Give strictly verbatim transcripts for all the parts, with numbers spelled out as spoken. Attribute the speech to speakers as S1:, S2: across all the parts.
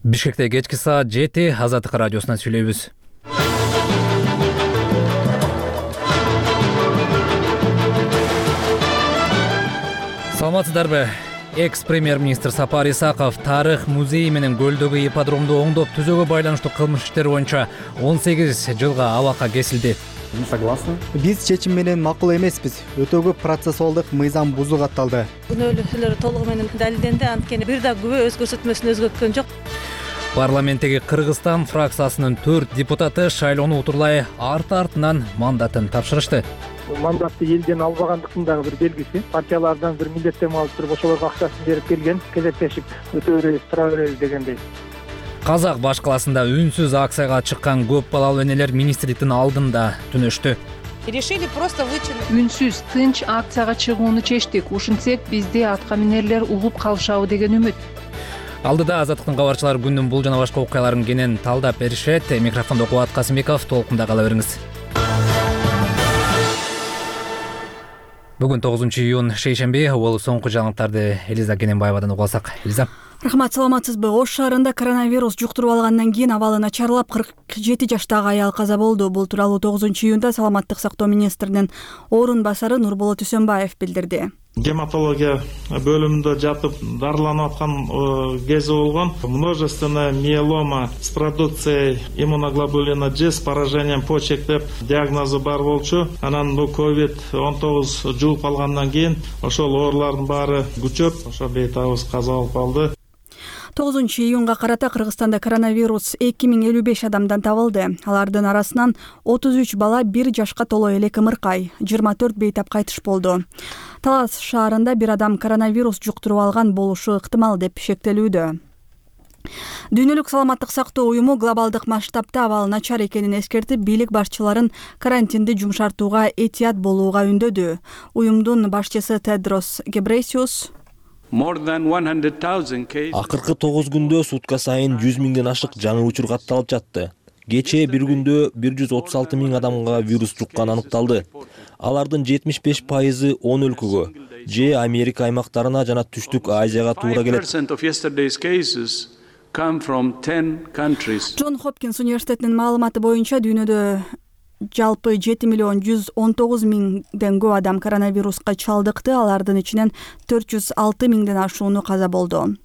S1: Бишкекте кечки саат жети Азаттык радиосунан сүйлөйбүз. Саламатсыздарбы? Экс-премьер-министр Сапар Исаков тарых музейи менен көлдөгү ипподромду оңдоп түзүүгө байланыштуу кылмыш иштери боюнча он сегиз жылга абакка кесилди.
S2: Не согласны?
S3: Биз чечим менен макул эмеспиз. Өтө көп процессуалдык мыйзам бузуу катталды.
S4: Күнөөлүүлөр толугу менен далилденди, анткени бир да күбө өз көрсөтмөсүн өзгөрткөн жок.
S1: Парламенттеги Кыргызстан фракциясынын төрт депутаты шайлоону утурлай арты-артынан мандатын тапшырышты.
S2: Мандатты элден албагандыктын дагы бир белгиси. Партиялардан бир милдеттенме алып туруп ошолорго акчасын берип келген, кезектешип өтө беребиз, тура беребиз дегендей.
S1: Казак баш калаасында үнсүз акцияга чыккан көп балалуу энелер министрликтин алдында түнөштү.
S5: Решили просто вычинить.
S6: Үнсүз, тынч акцияга чыгууну чечтик. Ушинтсек бизди атка минерлер угуп калышабы деген үмүт.
S1: Алдыда Азаттыктын кабарчылары күндүн бул жана башка окуяларын кенен талдап беришет. Микрофондо Кубат Касымбеков, толкунда кала бериңиз. Бүгүн тогузунчу июнь шейшемби, бул соңку жаңылыктарды Элиза Кененбаевадан угуп алсак. Элиза.
S7: Рахмат, саламатсызбы? Ош шаарында коронавирус жуктуруп алгандан кийин абалы начарлап кырк жети жаштагы аял каза болду. Бул тууралуу тогузунчу июнда Саламаттык сактоо министринин орун басары Нурболот Үсөнбаев билдирди.
S8: Гематология бөлүмүндө жатып дарыланып аткан кези болгон. Множественная миелома с продукцией иммуноглобулина G с поражением почек деп диагнозу бар болчу. Анан бул ковид он тогуз жугуп алгандан кийин ошол оорулардын баары күчөп, ошо бейтабыз каза болуп калды.
S7: тогузунчу июнга карата Кыргызстанда коронавирус эки миң элүү беш адамдан табылды. Алардын арасынан отуз үч бала бир жашка толо элек ымыркай, жыйырма төрт бейтап кайтыш болду. Талас шаарында бир адам коронавирус жуктуруп алган болушу ыктымал деп шектелүүдө. Дүйнөлүк саламаттык сактоо уюму глобалдык масштабта абал начар экенин эскертип, бийлик башчыларын карантинди жумшартууга этият болууга үндөдү. Уюмдун башчысы Тедрос Гебрейсиус
S9: акыркы тогуз күндө сутка сайын жүз миңден ашык жаңы учур катталып жатты. Кечээ бир күндө бир жүз отуз алты миң адамга вирус жуккан аныкталды. Алардын жетимиш беш пайызы он өлкөгө, же Америка аймактарына жана Түштүк Азияга туура келет.
S7: Джон Хопкинс университетинин маалыматы боюнча дүйнөдө жалпы жети миллион жүз он тогуз миңден көп адам коронавируска чалдыкты. Алардын ичинен төрт жүз алты миңден ашууну каза болду.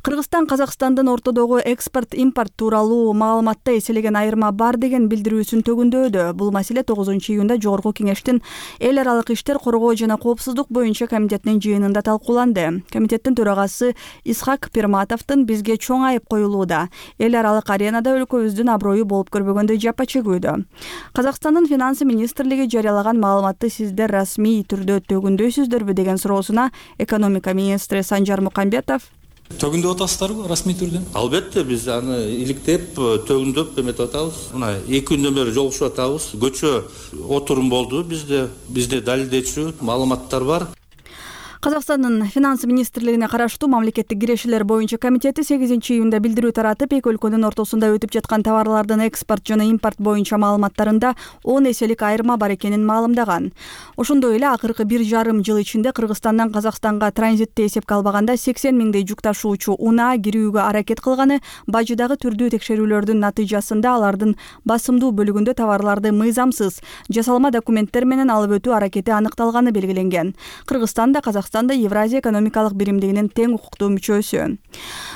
S7: Кыргызстан Казакстандын ортодогу экспорт-импорт тууралуу маалыматта эселеген айырма бар деген билдирүүсүн төгүндөдү. Бул маселе тогузунчу июнда Жогорку Кеңештин эл аралык иштер, коргоо жана коопсуздук боюнча комитетинин жыйынында талкууланды. Комитеттин төрагасы Исхак Пирматовдун бизге чоң айып коюлууда, эл аралык аренада өлкөбүздүн аброю болуп көрбөгөндөй жапа чегүүдө. Казакстандын финансы министрлиги жарыялаган маалыматты сиздер расмий түрдө төгүндөйсүздөрбү деген суроосуна экономика министри Санжар Мукамбетов
S10: төгүндөп атасыздарбы расмий түрдө?
S11: Албетте, биз аны иликтеп, төгүндөп эметип атабыз. Мына эки күндөн бери жолугушуп атабыз. Көчө отурум болду. Бизде бизде далилдечү маалыматтар бар.
S7: Казакстандын финансы министрлигине караштуу мамлекеттик кирешелер боюнча комитети сегизинчи июнда билдирүү таратып, эки өлкөнүн ортосунда өтүп жаткан товарлардын экспорт жана импорт боюнча маалыматтарында он эселик айырма бар экенин маалымдаган. Ошондой эле акыркы бир жарым жыл ичинде Кыргызстандан Казакстанга транзитти эсепке албаганда сексен миңдей жүк ташуучу унаа кирүүгө аракет кылганы, бажыдагы түрдүү текшерүүлөрдүн натыйжасында алардын басымдуу бөлүгүндө товарларды мыйзамсыз жасалма документтер менен алып өтүү аракети аныкталганы белгиленген. Кыргызстанда Казакстан Евразия экономикалык биримдигинин тең укуктуу мүчөсү.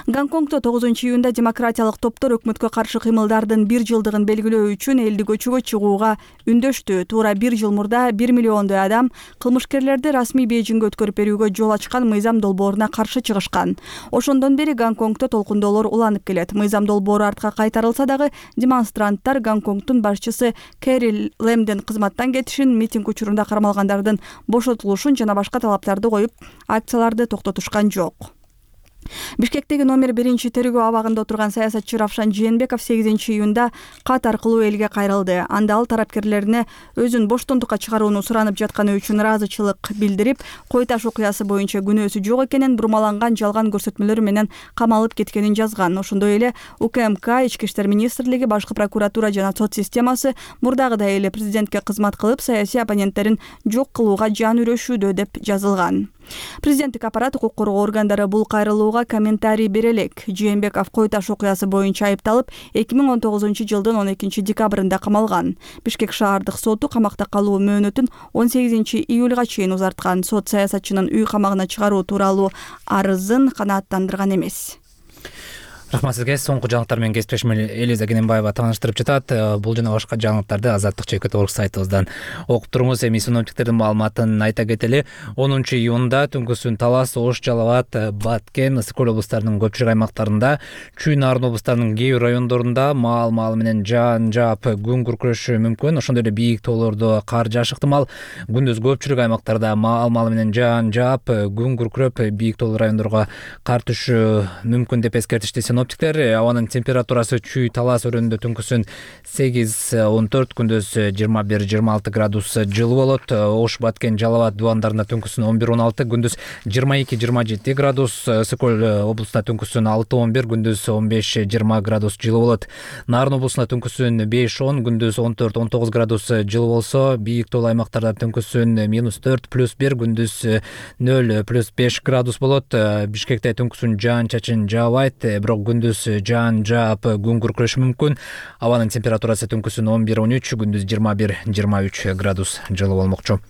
S7: Гонконгдо тогузунчу июнда демократиялык топтор өкмөткө каршы кыймылдардын бир жылдыгын белгилөө үчүн элди көчөгө чыгууга үндөштү. Туура бир жыл мурда бир миллиондой адам кылмышкерлерди расмий Бейжиңге өткөрүп берүүгө жол ачкан мыйзам долбооруна каршы чыгышкан. Ошондон бери Гонконгдо толкундоолор уланып келет. Мыйзам долбоору артка кайтарылса дагы демонстранттар Гонконгдун башчысы Кэри Лэмдин кызматтан кетишин, митинг учурунда кармалгандардын бошотулушун жана башка талаптарды коюп, акцияларды токтотушкан жок. Бишкектеги номер биринчи тергөө абагында отурган саясатчы Равшан Жээнбеков сегизинчи июнда кат аркылуу элге кайрылды. Анда ал тарапкерлерине өзүн боштондукка чыгарууну суранып жатканы үчүн ыраазычылык билдирип, Кой Таш окуясы боюнча күнөөсү жок экенин, бурмаланган жалган көрсөтмөлөр менен камалып кеткенин жазган. Ошондой эле УКМК, Ички иштер министрлиги, башкы прокуратура жана сот системасы мурдагыдай эле президентке кызмат кылып, саясий оппоненттерин жок кылууга жан үрөшүүдө деп жазылган. Президенттик аппарат укук коргоо органдары бул кайрылууга комментарий бере элек. Жээнбеков кой таш окуясы боюнча айыпталып, эки миң он тогузунчу жылдын он экинчи декабрында камалган. Бишкек шаардык соту камакта калуу мөөнөтүн он сегизинчи июлга чейин узарткан. Сот саясатчынын үй камагына чыгаруу тууралуу арызын канааттандырган эмес.
S1: Рахмат сизге. Соңку жаңылыктар менен кесиптешим Элиза Кененбаева тааныштырып жатат. Бул жана башка жаңылыктарды азаттык чекит точка орг сайтыбыздан окуп туруңуз. Эми синоптиктердин маалыматын айта кетели. онунчу июнда Түнкүсүн, Талас, Ош, Жалал абад, Баткен, Ысык көл облустарынын көпчүлүк аймактарында, Чүй, Нарын облустарынын кээ бир райондорунда маал-маал менен жаан жаап күн күркүрөшү мүмкүн. Ошондой эле бийик тоолордо кар жаашы ыктымал. Күндүз көпчүлүк аймактарда маал-маал менен жаан жаап күн күркүрөп бийик тоолуу райондорго кар түшүшү мүмкүн деп эскертишти синоптиктер. Абанын температурасы Чүй, Талас өрөөнүндө түнкүсүн сегиз он төрт, күндүз жыйырма бир жыйырма алты градус жылуу болот. Ош, Баткен, Жалал абад дубандарында түнкүсүн он бир он алты, күндүз жыйырма эки жыйырма жети градус. Ысык көл облусунда түнкүсүн алты он бир, күндүз он беш жыйырма градус жылуу болот. Нарын облусунда түнкүсүн беш он, күндүз он төрт он тогуз градус жылуу болсо, бийик тоолуу аймактарда түнкүсүн минус төрт плюс бир, күндүз нөл плюс беш градус болот. Бишкекте түнкүсүн жаан чачын жаабайт, бирок күндүз жаан жаап күн күркүрөшү мүмкүн. Абанын температурасы түнкүсүн он бир он үч, күндүз жыйырма бир жыйырма үч градус жылуу болмокчу.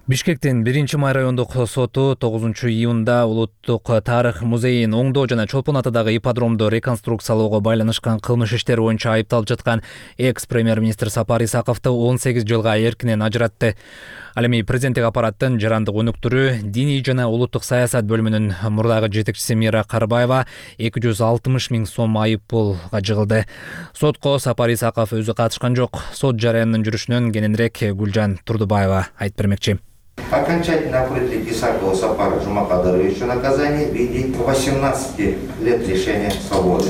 S1: Бишкектин биринчи май райондук соту тогузунчу июнда Улуттук тарых музейин оңдоо жана Чолпон атадагы ипподромду реконструкциялоого байланышкан кылмыш иштери боюнча айыпталып жаткан экс премьер-министр Сапар Исаковду он сегиз жылга эркинен ажыратты. Ал эми президенттик аппараттын жарандык өнүктүрүү, диний жана улуттук саясат бөлүмүнүн мурдагы жетекчиси Мира Карыбаева эки жүз алтымыш миң сом айып пулга жыгылды. Сотко Сапар Исаков өзү катышкан жок. Сот жарыянын жүрүшүнөн кененирээк Гүлжан Турдубаева айтып бермекчи.
S12: Окончательно определить Исакова Сапара Жумакадыровича наказание в виде восемнадцати лет лишения свободы.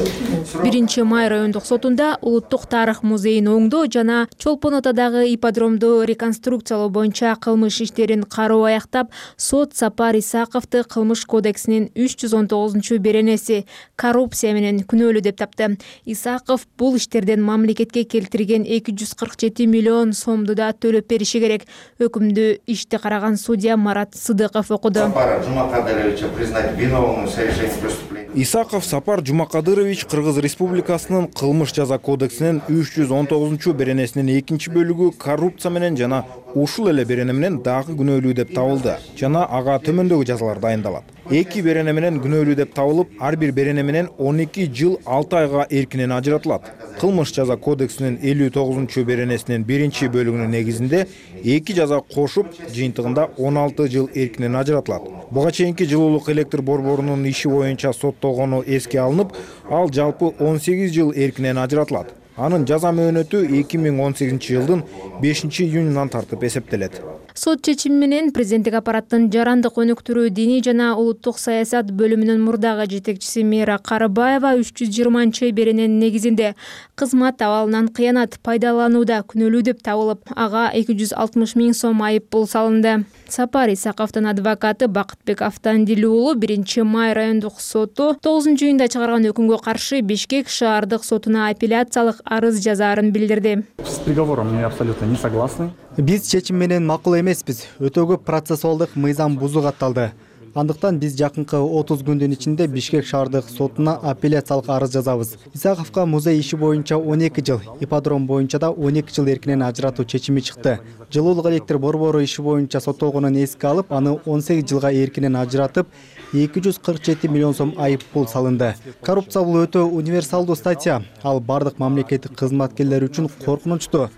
S13: биринчи май райондук сотунда Улуттук тарых музейин оңдоо жана Чолпон атадагы ипподромду реконструкциялоо боюнча кылмыш иштерин кароо аяктап, сот Сапар Исаковду кылмыш кодексинин үч жүз он тогузунчу беренеси коррупция менен күнөөлүү деп тапты. Исаков бул иштерден мамлекетке келтирген эки жүз кырк жети миллион сомду да төлөп бериши керек. Өкүмдү ишти караган судья Марат Сыдыков окуду.
S12: Сапара Жумакадыровича признать виновным в совершении преступления.
S14: Исаков Сапар Жумакадырович Кыргыз Республикасынын кылмыш жаза кодексинин үч жүз он тогузунчу беренесинин экинчи бөлүгү коррупция менен жана ушул эле берене менен дагы күнөөлүү деп табылды жана ага төмөндөгү жазалар дайындалат. Эки берене менен күнөөлүү деп табылып, ар бир берене менен он эки жыл алты айга эркинен ажыратылат. Кылмыш жаза кодексинин элүү тогузунчу беренесинин биринчи бөлүгүнүн негизинде эки жаза кошуп, жыйынтыгында он алты жыл эркинен ажыратылат. Буга чейинки жылуулук электр борборунун иши боюнча соттолгону эске алынып, ал жалпы он сегиз жыл эркинен ажыратылат. Анын жаза мөөнөтү эки миң он сегизинчи жылдын бешинчи июнунан тартып эсептелет.
S13: Сот чечими менен президенттик аппараттын жарандык өнүктүрүү, диний жана улуттук саясат бөлүмүнүн мурдагы жетекчиси Мира Карыбаева үч жүз жыйырманчы берененин негизинде кызмат абалынан кыянат пайдаланууда күнөөлүү деп табылып, ага эки жүз алтымыш миң сом айып пул салынды. Сапар Исаковдун адвокаты Бакытбек Автандили уулу биринчи май райондук соту тогузунчу июнда чыгарган өкүмгө каршы Бишкек шаардык сотуна апелляциялык арыз жазаарын билдирди.
S15: С приговором мы абсолютно не согласны.
S3: Биз чечим менен макул эмеспиз. Өтө көп процессуалдык мыйзам бузуу катталды. Андыктан биз жакынкы отуз күндүн ичинде Бишкек шаардык сотуна апелляциялык арыз жазабыз. Исаковго музей иши боюнча он эки жыл, ипподром боюнча да он эки жыл эркинен ажыратуу чечими чыкты. Жылуулук электр борбору иши боюнча соттолгонун эске алып, аны он сегиз жылга эркинен ажыратып, эки жүз кырк жети миллион сом айып пул салынды. Коррупция бул өтө универсалдуу статья. Ал бардык мамлекеттик кызматкерлер үчүн коркунучтуу.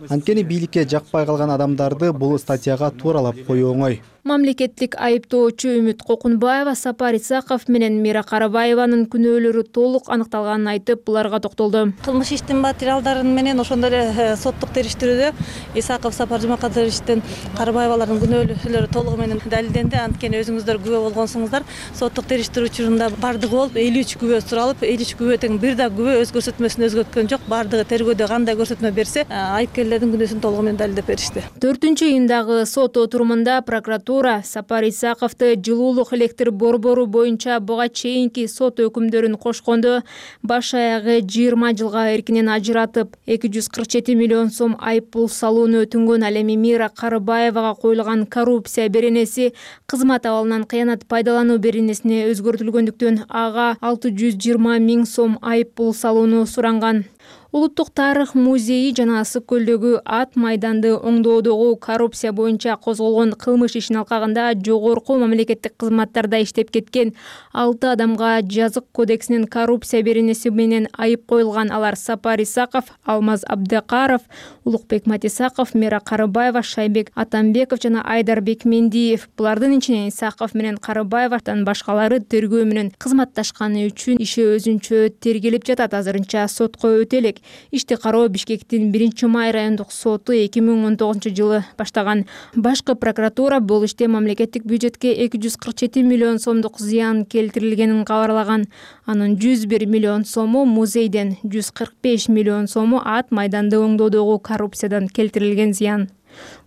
S3: Анткени бийликке жакпай калган адамдарды бул статьяга тууралап коюу оңой.
S13: Мамлекеттик айыптоочу Үмүт Кокунбаева Сапар Исаков менен Мира Карыбаеванын күнөөлөрү толук аныкталганын айтып, буларга токтолду.
S4: Кылмыш иштин материалдарын менен ошондой эле соттук териштирүүдө Исаков, Сапар Жумакадыровичтин, Карыбаевалардын күнөөлөрү толугу менен далилденди. Анткени өзүңүздөр күбө болгонсуңуздар. Соттук териштирүү учурунда бардыгы болуп элүү үч күбө суралып, элүү үч күбө тең бир да күбө өз көрсөтмөсүн өзгөрткөн жок. Бардыгы тергөөдө кандай көрсөтмө берсе, айыпкерлердин күнөөсүн толугу менен далилдеп беришти.
S13: төртүнчү июндагы сот отурумунда прокуратура прокуратура Сапар Исаковду жылуулук электр борбору боюнча буга чейинки сот өкүмдөрүн кошкондо баш аягы жыйырма жылга эркинен ажыратып, эки жүз кырк жети миллион сом айып пул салууну өтүнгөн. Ал эми Мира Карыбаевага коюлган коррупция беренеси кызмат абалынан кыянат пайдалануу беренесине өзгөртүлгөндүктөн ага алты жүз жыйырма миң сом айып пул салууну суранган. Улуттук тарых музейи жана Ысык көлдөгү ат майданды оңдоодогу коррупция боюнча козголгон кылмыш ишин алкагында жогорку мамлекеттик кызматтарда иштеп кеткен алты адамга жазык кодексинин коррупция беренеси менен айып коюлган. Алар Сапар Исаков, Алмаз Абдыкаров, Улукбек Матисаков, Мира Карыбаева, Шайбек Атамбеков жана Айдарбек Мендиев. Булардын ичинен Исаков менен Карыбаевден башкалары тергөө менен кызматташканы үчүн иши өзүнчө тергелип жатат. Азырынча сотко өтөлек. Ишти кароо Бишкектин биринчи май райондук соту эки миң он тогузунчу жылы баштаган. Башкы прокуратура бул иште мамлекеттик бюджетке эки жүз кырк жети миллион сомдук зыян келтирилгенин кабарлаган. Анын жүз бир миллион сому музейден, жүз кырк беш миллион сому ат майданды оңдоодогу коррупциядан келтирилген зыян.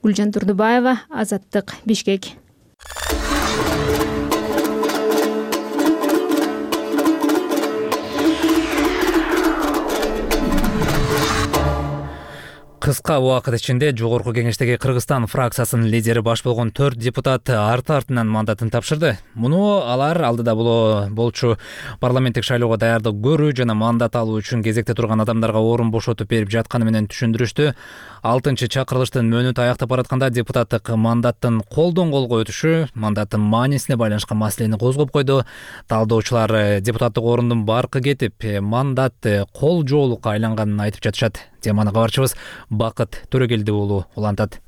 S13: Гүлжан Турдубаева, Азаттык, Бишкек.
S1: Кыска убакыт ичинде жогорку кеңештеги Кыргызстан фракциясынын лидери баш болгон төрт депутат арты-артынан мандатын тапшырды. Муну алар алдыда болчу парламенттик шайлоого даярдык көрүү жана мандат алуу үчүн кезекте турган адамдарга орун бошотуп берип жатканы менен түшүндүрүштү. алтынчы чакырылыштын мөөнөтү аяктап баратканда депутаттык мандаттын колдон колго өтүшү мандаттын маанисине байланышкан маселени козгоп койду. Талдоочулар депутаттык орундун баркы кетип, мандат кол жоолукка айланганын айтып жатышат. Теманы кабарчыбыз Бакыт Төрөгелди уулу улантат.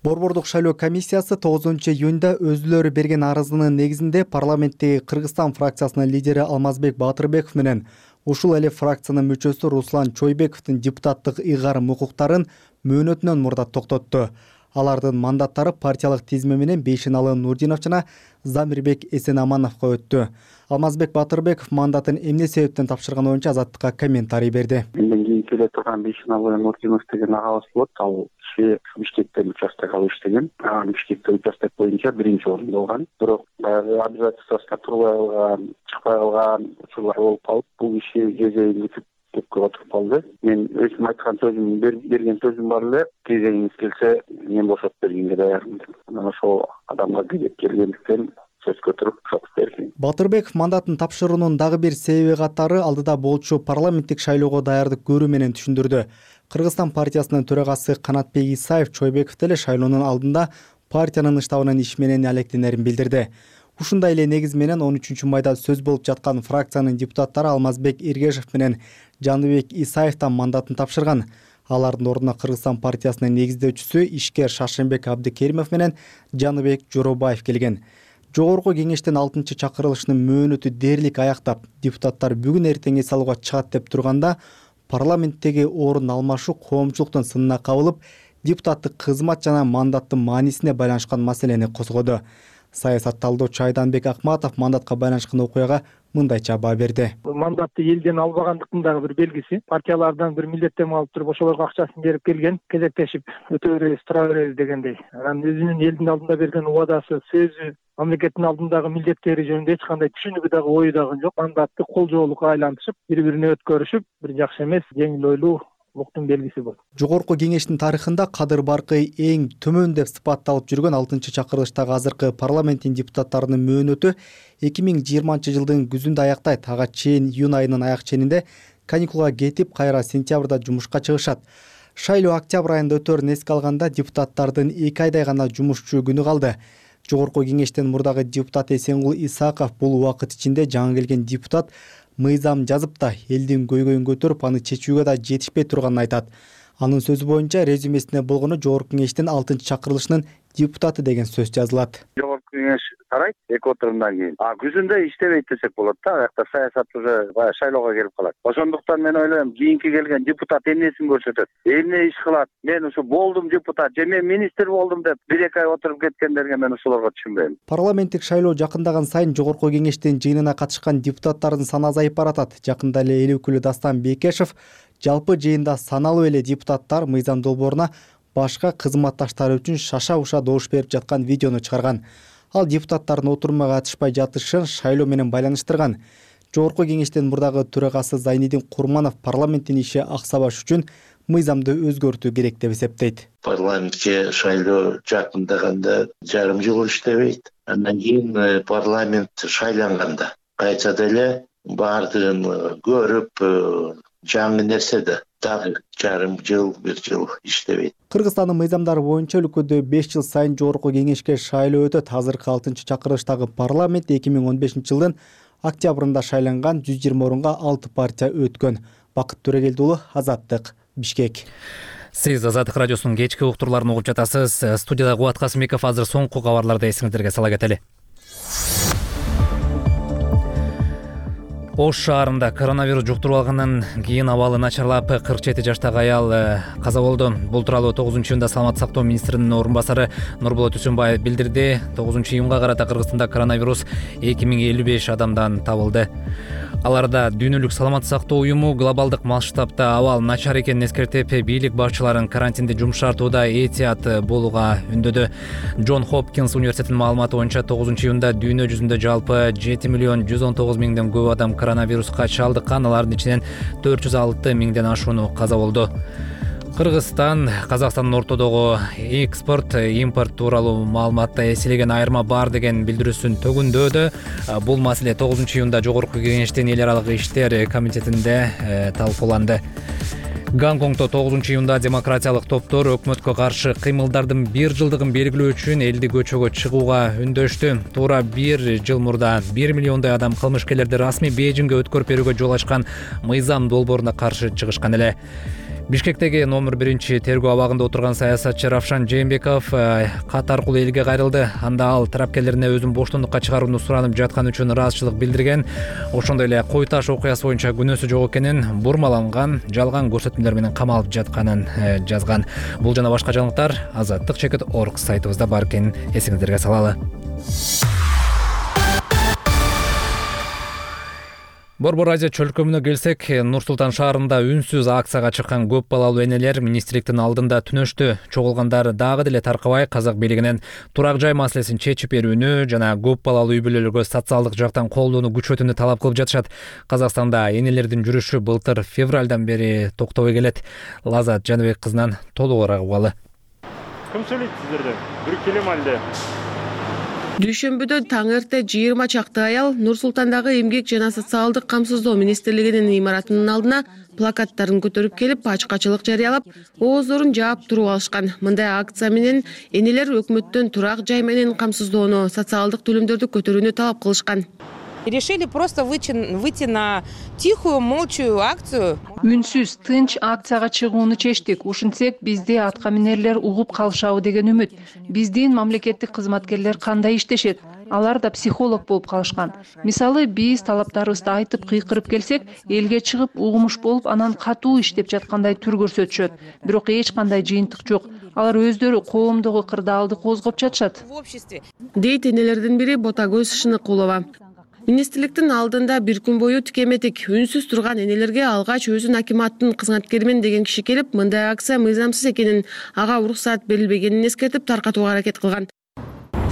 S3: Борбордук шайлоо комиссиясы тогузунчу июнда өзүлөрү берген арызынын негизинде парламенттеги Кыргызстан фракциясынын лидери Алмазбек Батырбеков менен ушул эле фракциянын мүчөсү Руслан Чойбековдун депутаттык ыйгарым укуктарын мөөнөтүнөн мурда токтотту. Алардын мандаттары партиялык тизме менен Бейшеналы Нурдинов жана Замирбек Эсенамановго өттү. Алмазбек Батырбеков мандатын эмне себептен тапшырганы боюнча Азаттыкка комментарий берди.
S16: Менден кийин келе турган Бейшеналы Нурдинов деген агабыз болот. Ал киши Бишкектен участок алып иштеген. Анан Бишкекте участок боюнча биринчи орунда болгон. Бирок баягы обязательствосуна турбай калган, чыкпай калган учурлар болуп калып, бул киши кезегин күтүп көп отуруп калды. Мен өзүм айткан сөзүм берген сөзүм бар эле, кезегиңиз келсе мен бошоп бергенге даярмын деп. Анан ошол адамга кезек келгендиктен сөз көтөрүп чогуу бердим.
S3: Батырбеков мандатын тапшыруунун дагы бир себеби катары алдыда болчу парламенттик шайлоого даярдык көрүү менен түшүндүрдү. Кыргызстан партиясынын төрагасы Канатбек Исаев Чойбеков деле шайлоонун алдында партиянын штабынын иши менен алектенерин билдирди. Ушундай эле негиз менен он үчүнчү майда сөз болуп жаткан фракциянын депутаттары Алмазбек Эргешев менен Жаныбек Исаевден мандатын тапшырган. Алардын ордуна Кыргызстан партиясынын негиздөөчүсү ишкер Шашенбек Абдыкеримов менен Жаныбек Жоробаев келген. Жогорку кеңештин алтынчы чакырылышынын мөөнөтү дээрлик аяктап, депутаттар бүгүн эртең эс алууга чыгат деп турганда, парламенттеги орун алмашуу коомчулуктун сынына кабылып, депутаттык кызмат жана мандаттын маанисине байланышкан маселени козгоду. Саясат талдоочу Айданбек Акматов мандатка байланышкан окуяга мындайча баа берди.
S2: Мандатты элден албагандыктын дагы бир белгиси. Партиялардан бир милдеттенме алып туруп ошолорго акчасын берип келген, кезектешип өтө беребиз, тура беребиз дегендей. Анан өзүнүн элдин алдында берген убадасы, сөзү, мамлекеттин алдындагы милдеттери жөнүндө эч кандай түшүнүгү дагы ою дагы жок. Мандатты кол жоолукка айлантышып, бири-бирине өткөрүшүп, бир жакшы эмес, жеңил ойлуу уктун белгиси болот.
S3: Жогорку кеңештин тарыхында кадыр баркы эң төмөн деп сыпатталып жүргөн алтынчы чакырылыштагы азыркы парламенттин депутаттарынын мөөнөтү эки миң жыйырманчы жылдын күзүндө аяктайт. Ага чейин июнь айынын аяк ченинде каникулга кетип, кайра сентябрда жумушка чыгышат. Шайлоо октябрь айында өтөрүн эске алганда депутаттардын эки айдай гана жумушчу күнү калды. Жогорку кеңештен мурдагы депутат Эсенгул Исаков бул убакыт ичинде жаңы келген депутат мыйзам жазып да элдин көйгөйүн көтөрүп, аны чечүүгө да жетишпей турганын айтат. Анын сөзү боюнча резюмесине болгону жогорку кеңештин алтынчы чакырылышынын депутаты деген сөз жазылат.
S16: Жогорку кеңеш тарайт эки отурумдан кийин. А күзүндө иштебейт десек болот да, аякта саясат уже баягы шайлоого келип калат. Ошондуктан мен ойлойм, кийинки келген депутат эмнесин көрсөтөт, эмне иш кылат. Мен ушу болдум депутат, же мен министр болдум деп бир эки ай отуруп кеткендерге мен ошолорго түшүнбөйм.
S3: Парламенттик шайлоо жакындаган сайын жогорку кеңештин жыйынына катышкан депутаттардын саны азайып баратат. Жакында эле эл өкүлү Дастан Бекешев жалпы жыйында саналуу эле депутаттар мыйзам долбооруна башка кызматташтары үчүн шаша уша добуш берип жаткан видеону чыгарган. Ал депутаттардын отурумга катышпай жатышын шайлоо менен байланыштырган. Жогорку кеңештин мурдагы төрагасы Зайнидин Курманов парламенттин иши аксабаш үчүн мыйзамды өзгөртүү керек деп эсептейт.
S17: Парламентке шайлоо жакындаганда жарым жыл иштебейт. Андан кийин парламент шайланганда кайса деле баардыгын көрүп жаңы нерседе дагы жарым жыл, бир жыл иштебейт.
S3: Кыргызстандын мыйзамдары боюнча өлкөдө беш жыл сайын жогорку кеңешке шайлоо өтөт. Азыркы алтынчы чакырылыштагы парламент эки миң он бешинчи жылдын октябрында шайланган жүз жыйырма орунга алты партия өткөн. Бакыт Төрегелди уулу, Азаттык, Бишкек.
S1: Сиз Азаттык радиосунун кечки уктурларын угуп жатасыз. Студияда Кубат Касымбеков. Азыр соңку кабарларды эсиңиздерге сала кетели. Ош шаарында коронавирус жуктуруп алгандан кийин абалы начарлап кырк жети жаштагы аял каза болду. Бул тууралуу тогузунчу июнда саламаттык сактоо министринин орун басары Нурболот Үсүнбаев билдирди. тогузунчу июнга карата Кыргызстанда коронавирус эки миң элүү беш адамдан табылды. Аларда Дүйнөлүк саламаттык сактоо уюму глобалдык масштабта абал начар экенин эскертип, бийлик башчыларын карантинди жумшартууда этият болууга үндөдү. Джон Хопкинс университетинин маалыматы боюнча тогузунчу июнда дүйнө жүзүндө жалпы жети миллион жүз он тогуз миңден көп адам коронавируска чалдыккан, алардын ичинен төрт жүз алты миңден ашууну каза болду. Кыргызстан Казакстандын ортодогу экспорт, импорт тууралуу маалыматта эселеген айырма бар деген билдирүүсүн төгүндөдү. Бул маселе тогузунчу июнда жогорку кеңештин эл аралык иштер комитетинде талкууланды. Гонконгдо тогузунчу июнда демократиялык топтор өкмөткө каршы кыймылдардын бир жылдыгын белгилөө үчүн элди көчөгө чыгууга үндөштү. Туура бир жыл мурда бир миллиондой адам кылмышкерлерди расмий Бейжиңге өткөрүп берүүгө жол ачкан мыйзам долбооруна каршы чыгышкан эле. Бишкектеги номер биринчи тергөө абагында отурган саясатчы Равшан Жээнбеков кат аркылуу элге кайрылды. Анда ал тарапкерлерине өзүн боштондукка чыгарууну суранып жаткан үчүн ыраазычылык билдирген. Ошондой эле Кой Таш окуясы боюнча күнөөсү жок экенин, бурмаланган, жалган көрсөтмөлөр менен камалып жатканын жазган. Бул жана башка жаңылыктар азаттык чекит точка орг сайтыбызда бар экенин эсиңиздерге салалы. Борбор Азия чөлкөмүнө келсек, Нур-Султан шаарында үнсүз акцияга чыккан көп балалуу энелер министрликтин алдында түнөштү. Чогулгандар дагы деле таркабай казак бийлигинен турак жай маселесин чечип берүүнү жана көп балалуу үй бүлөлөргө социалдык жактан колдоону күчөтүүнү талап кылып жатышат. Казакстанда энелердин жүрүшү былтыр февралдан бери токтобой келет. Лазат Жаныбек кызынан толугураак угалы.
S18: Ким сүйлөйт сиздерден? Бир келем алды.
S19: Дүйшөмбүдө таң эрте жыйырма чакты аял Нур-Султандагы эмгек жана социалдык камсыздоо министрлигинин имаратынын алдына плакаттарын көтөрүп келип, ачкачылык жарыялап, ооздорун жаап туруп алышкан. Мындай акция менен энелер өкмөттөн турак жай менен камсыздоону, социалдык төлөмдөрдү көтөрүүнү талап кылышкан.
S5: Решили просто выйти на тихую, молчую акцию.
S6: Үнсүз, тынч акцияга чыгууну чечтик. Ушинтсек, бизди атка минерлер угуп калышабы деген үмүт. Биздин мамлекеттик кызматкерлер кандай иштешет? Алар да психолог болуп калышкан. Мисалы, биз талаптарыбызды айтып кыйкырып келсек, элге чыгып угумуш болуп, анан катуу иштеп жаткандай түр көрсөтүшөт. Бирок эч кандай жыйынтык жок. Алар өздөрү коомдогу кырдаалды козгоп жатышат.
S19: Дейт энелердин бири Ботагөз Шыныкулова. Министрликтин алдында бир күн бою тикеметик, үнсүз турган энелерге алгач өзүн акиматтын кызматкеримен деген киши келип, мындай акция мыйзамсыз экенин, ага уруксат берилбегенин эскертип таркатууга аракет кылган.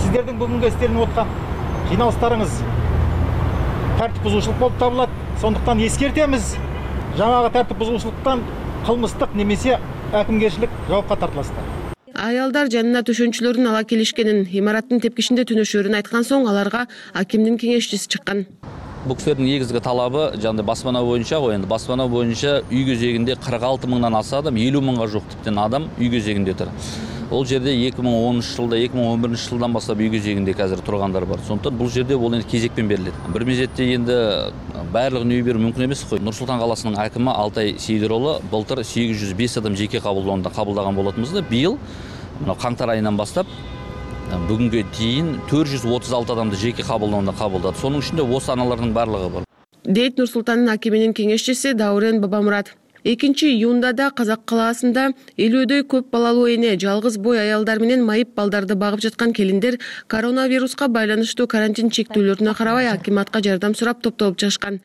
S18: Сиздердин бүгүнкү эстеринип аткан жыйналыштарыңыз тартип бузуучулук болуп табылат. Сондуктан эскертемиз, жаңагы тартип бузуучулуктан кылмыстык немесе акимгерчилик жоопко тартыласыздар.
S19: Аялдар жанына төшөнчүлөрүн ала келишкенин, имараттын тепкичинде түнөшөрүн айткан соң аларга акимдин кеңешчиси чыккан.
S20: Бул кишилердин негизги талабы жана басмана боюнча го, эми басмана боюнча үй кезегинде кырк алты мыңдан аса адам, элүү мыңга жук типтен адам үй кезегинде тур. Ол жерде эки миң онунчу жылда, эки миң он биринчи жылдан баштап үй кезегинде азыр тургандар бар. Сондуктан бул жерде бул энди кезекпен берилет. Бир мезетте энди баардыгын үй берүү мүмкүн эмес го. Нур-Султан каласынын акимы Алтай Сейдиролу былтыр сегиз жүз беш адам жеке кабылдоонда кабылдаган болотунбуз да, быйыл мына каңтар айынан баштап бүгүнгө чейин төрт жүз отуз алты адамды жеке кабылдоонда кабылдады. Сонун ичинде осы аналардын баардыгы бар.
S19: Дейт Нур-Султандын акиминин кеңешчиси Даурен Бабамурат. экинчи июнда да Казак калаасында элүүдөй көп балалуу эне, жалгыз бой аялдар менен майып балдарды багып жаткан келиндер коронавируска байланыштуу карантин чектөөлөрүнө карабай акиматка жардам сурап топтолуп чыгышкан.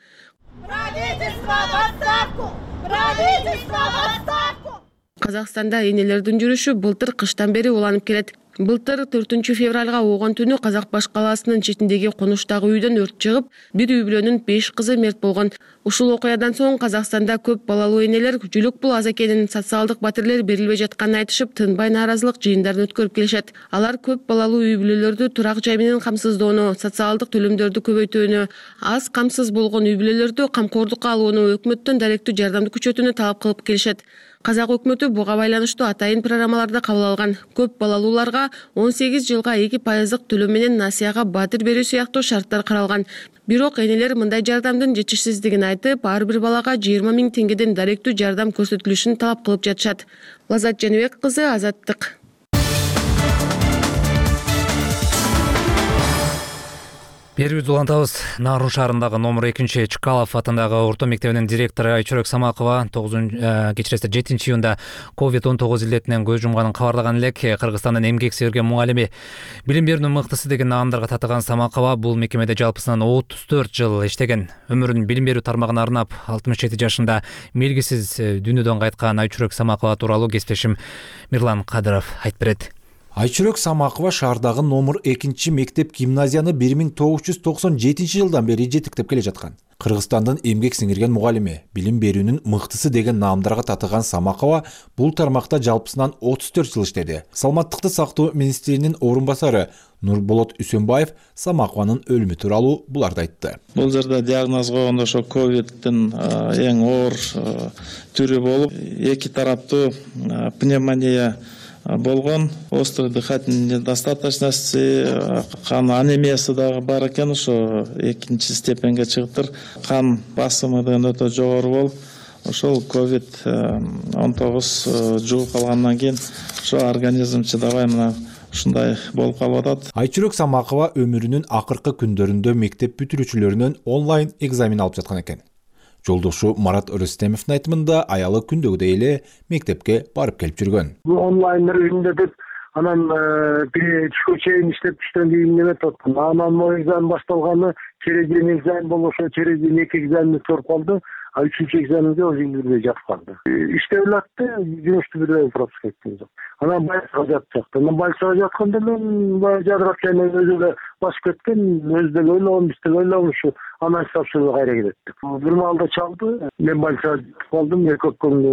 S19: Казакстанда энелердин жүрүшү былтыр кыштан бери уланып келет. Былтыр төртүнчү февралга огон түнү Казак баш калаасынын четиндеги конуштагы үйдөн өрт чыгып, бир үй бүлөнүн беш кызы мерт болгон. Ушул окуядан соң Казакстанда көп балалуу энелер жүлүк бул аз экенин, социалдык батирлер берилбей жатканын айтышып, тынбай нааразылык жыйындарын өткөрүп келишет. Алар көп балалуу үй бүлөлөрдү турак жай менен камсыздоону, социалдык төлөмдөрдү көбөйтүүнү, аз камсыз болгон үй бүлөлөрдү камкордукка алууну, өкмөттөн даректүү жардамды күчөтүүнү талап кылып келишет. Казак өкмөтү буга байланыштуу атайын программаларды кабыл алган. Көп балалууларга он сегиз жылга эки пайыздык төлөм менен насыяга батир берүү сыяктуу шарттар каралган. Бирок энелер мындай жардамдын жетишсиздигин айтып, ар бир балага жыйырма миң теңгеден даректүү жардам көрсөтүлүшүн талап кылып жатышат. Лазат Жаныбек кызы, Азаттык.
S1: Берүүбүздү улантабыз. Нарын шаарындагы номер экинчи Чкалов атындагы орто мектебинин директору Айчүрөк Самакова кечиресиздер жетинчи июнда ковид он тогуз илдетинен көз жумганын кабарлаган элек. Кыргызстандын эмгек сүйөргөн мугалими, билим берүүнүн мыктысы деген наамдарга татыган Самакова бул мекемеде жалпысынан отуз төрт жыл иштеген. Өмүрүн билим берүү тармагына арнап алтымыш жети жашында мелгисиз дүйнөдөн кайткан Айчүрөк Самакова тууралуу кесиптешим Мирлан Кадыров айтып берет.
S21: Айчүрөк Самакова шаардагы номер экинчи мектеп гимназияны бир миң тогуз жүз токсон жетинчи жылдан бери жетектеп келе жаткан. Кыргызстандын эмгек сиңирген мугалими, билим берүүнүн мыктысы деген наамдарга татыган Самакова бул тармакта жалпысынан отуз төрт жыл иштеди. Саламаттыкты сактоо министринин орун басары Нурболот Үсөнбаев Самакованын өлүмү тууралуу буларды айтты.
S8: Бул жерде диагноз койгондо ошо ковиддин эң оор түрү болуп, эки тараптуу пневмония болгон, острый дыхательный недостаточности, кан анемиясы дагы бар экен, ошо экинчи степенге чыгыптыр. Кан басымы деген өтө жогору болуп, ошол ковид он тогуз жугуп калгандан кийин ошо организм чыдабай мына ушундай болуп калып атат.
S21: Айчүрөк Самакова өмүрүнүн акыркы күндөрүндө мектеп бүтүрүүчүлөрүнөн онлайн экзамен алып жаткан экен. Жолдошу Марат Рүстемовдун айтымында аялы күндөгүдөй эле мектепке барып келип жүргөн.
S22: Онлайн режимде деп анан бир түшкө чейин иштеп түштөн кийин неметип аткан. Анан могу экзамен башталганы через день экзамен болуп, ошо через день эки экзаменди өткөрүп калды. А үчүнчү экзаменге уже индирбей жатып калды. Иштеп элатты, жумушту бирдей пропуск эткен жок. Анан больницага жатып жатты. Анан больницага жатканда мен баягы жадырап жайнап өзү эле басып кеткен, өзү деле ойлогон, биз деле ойлогон ушу анан тапшырууга кайра кеттик. Бир маалда чалды, мен больницага кетип калдым, эки өкпөмдө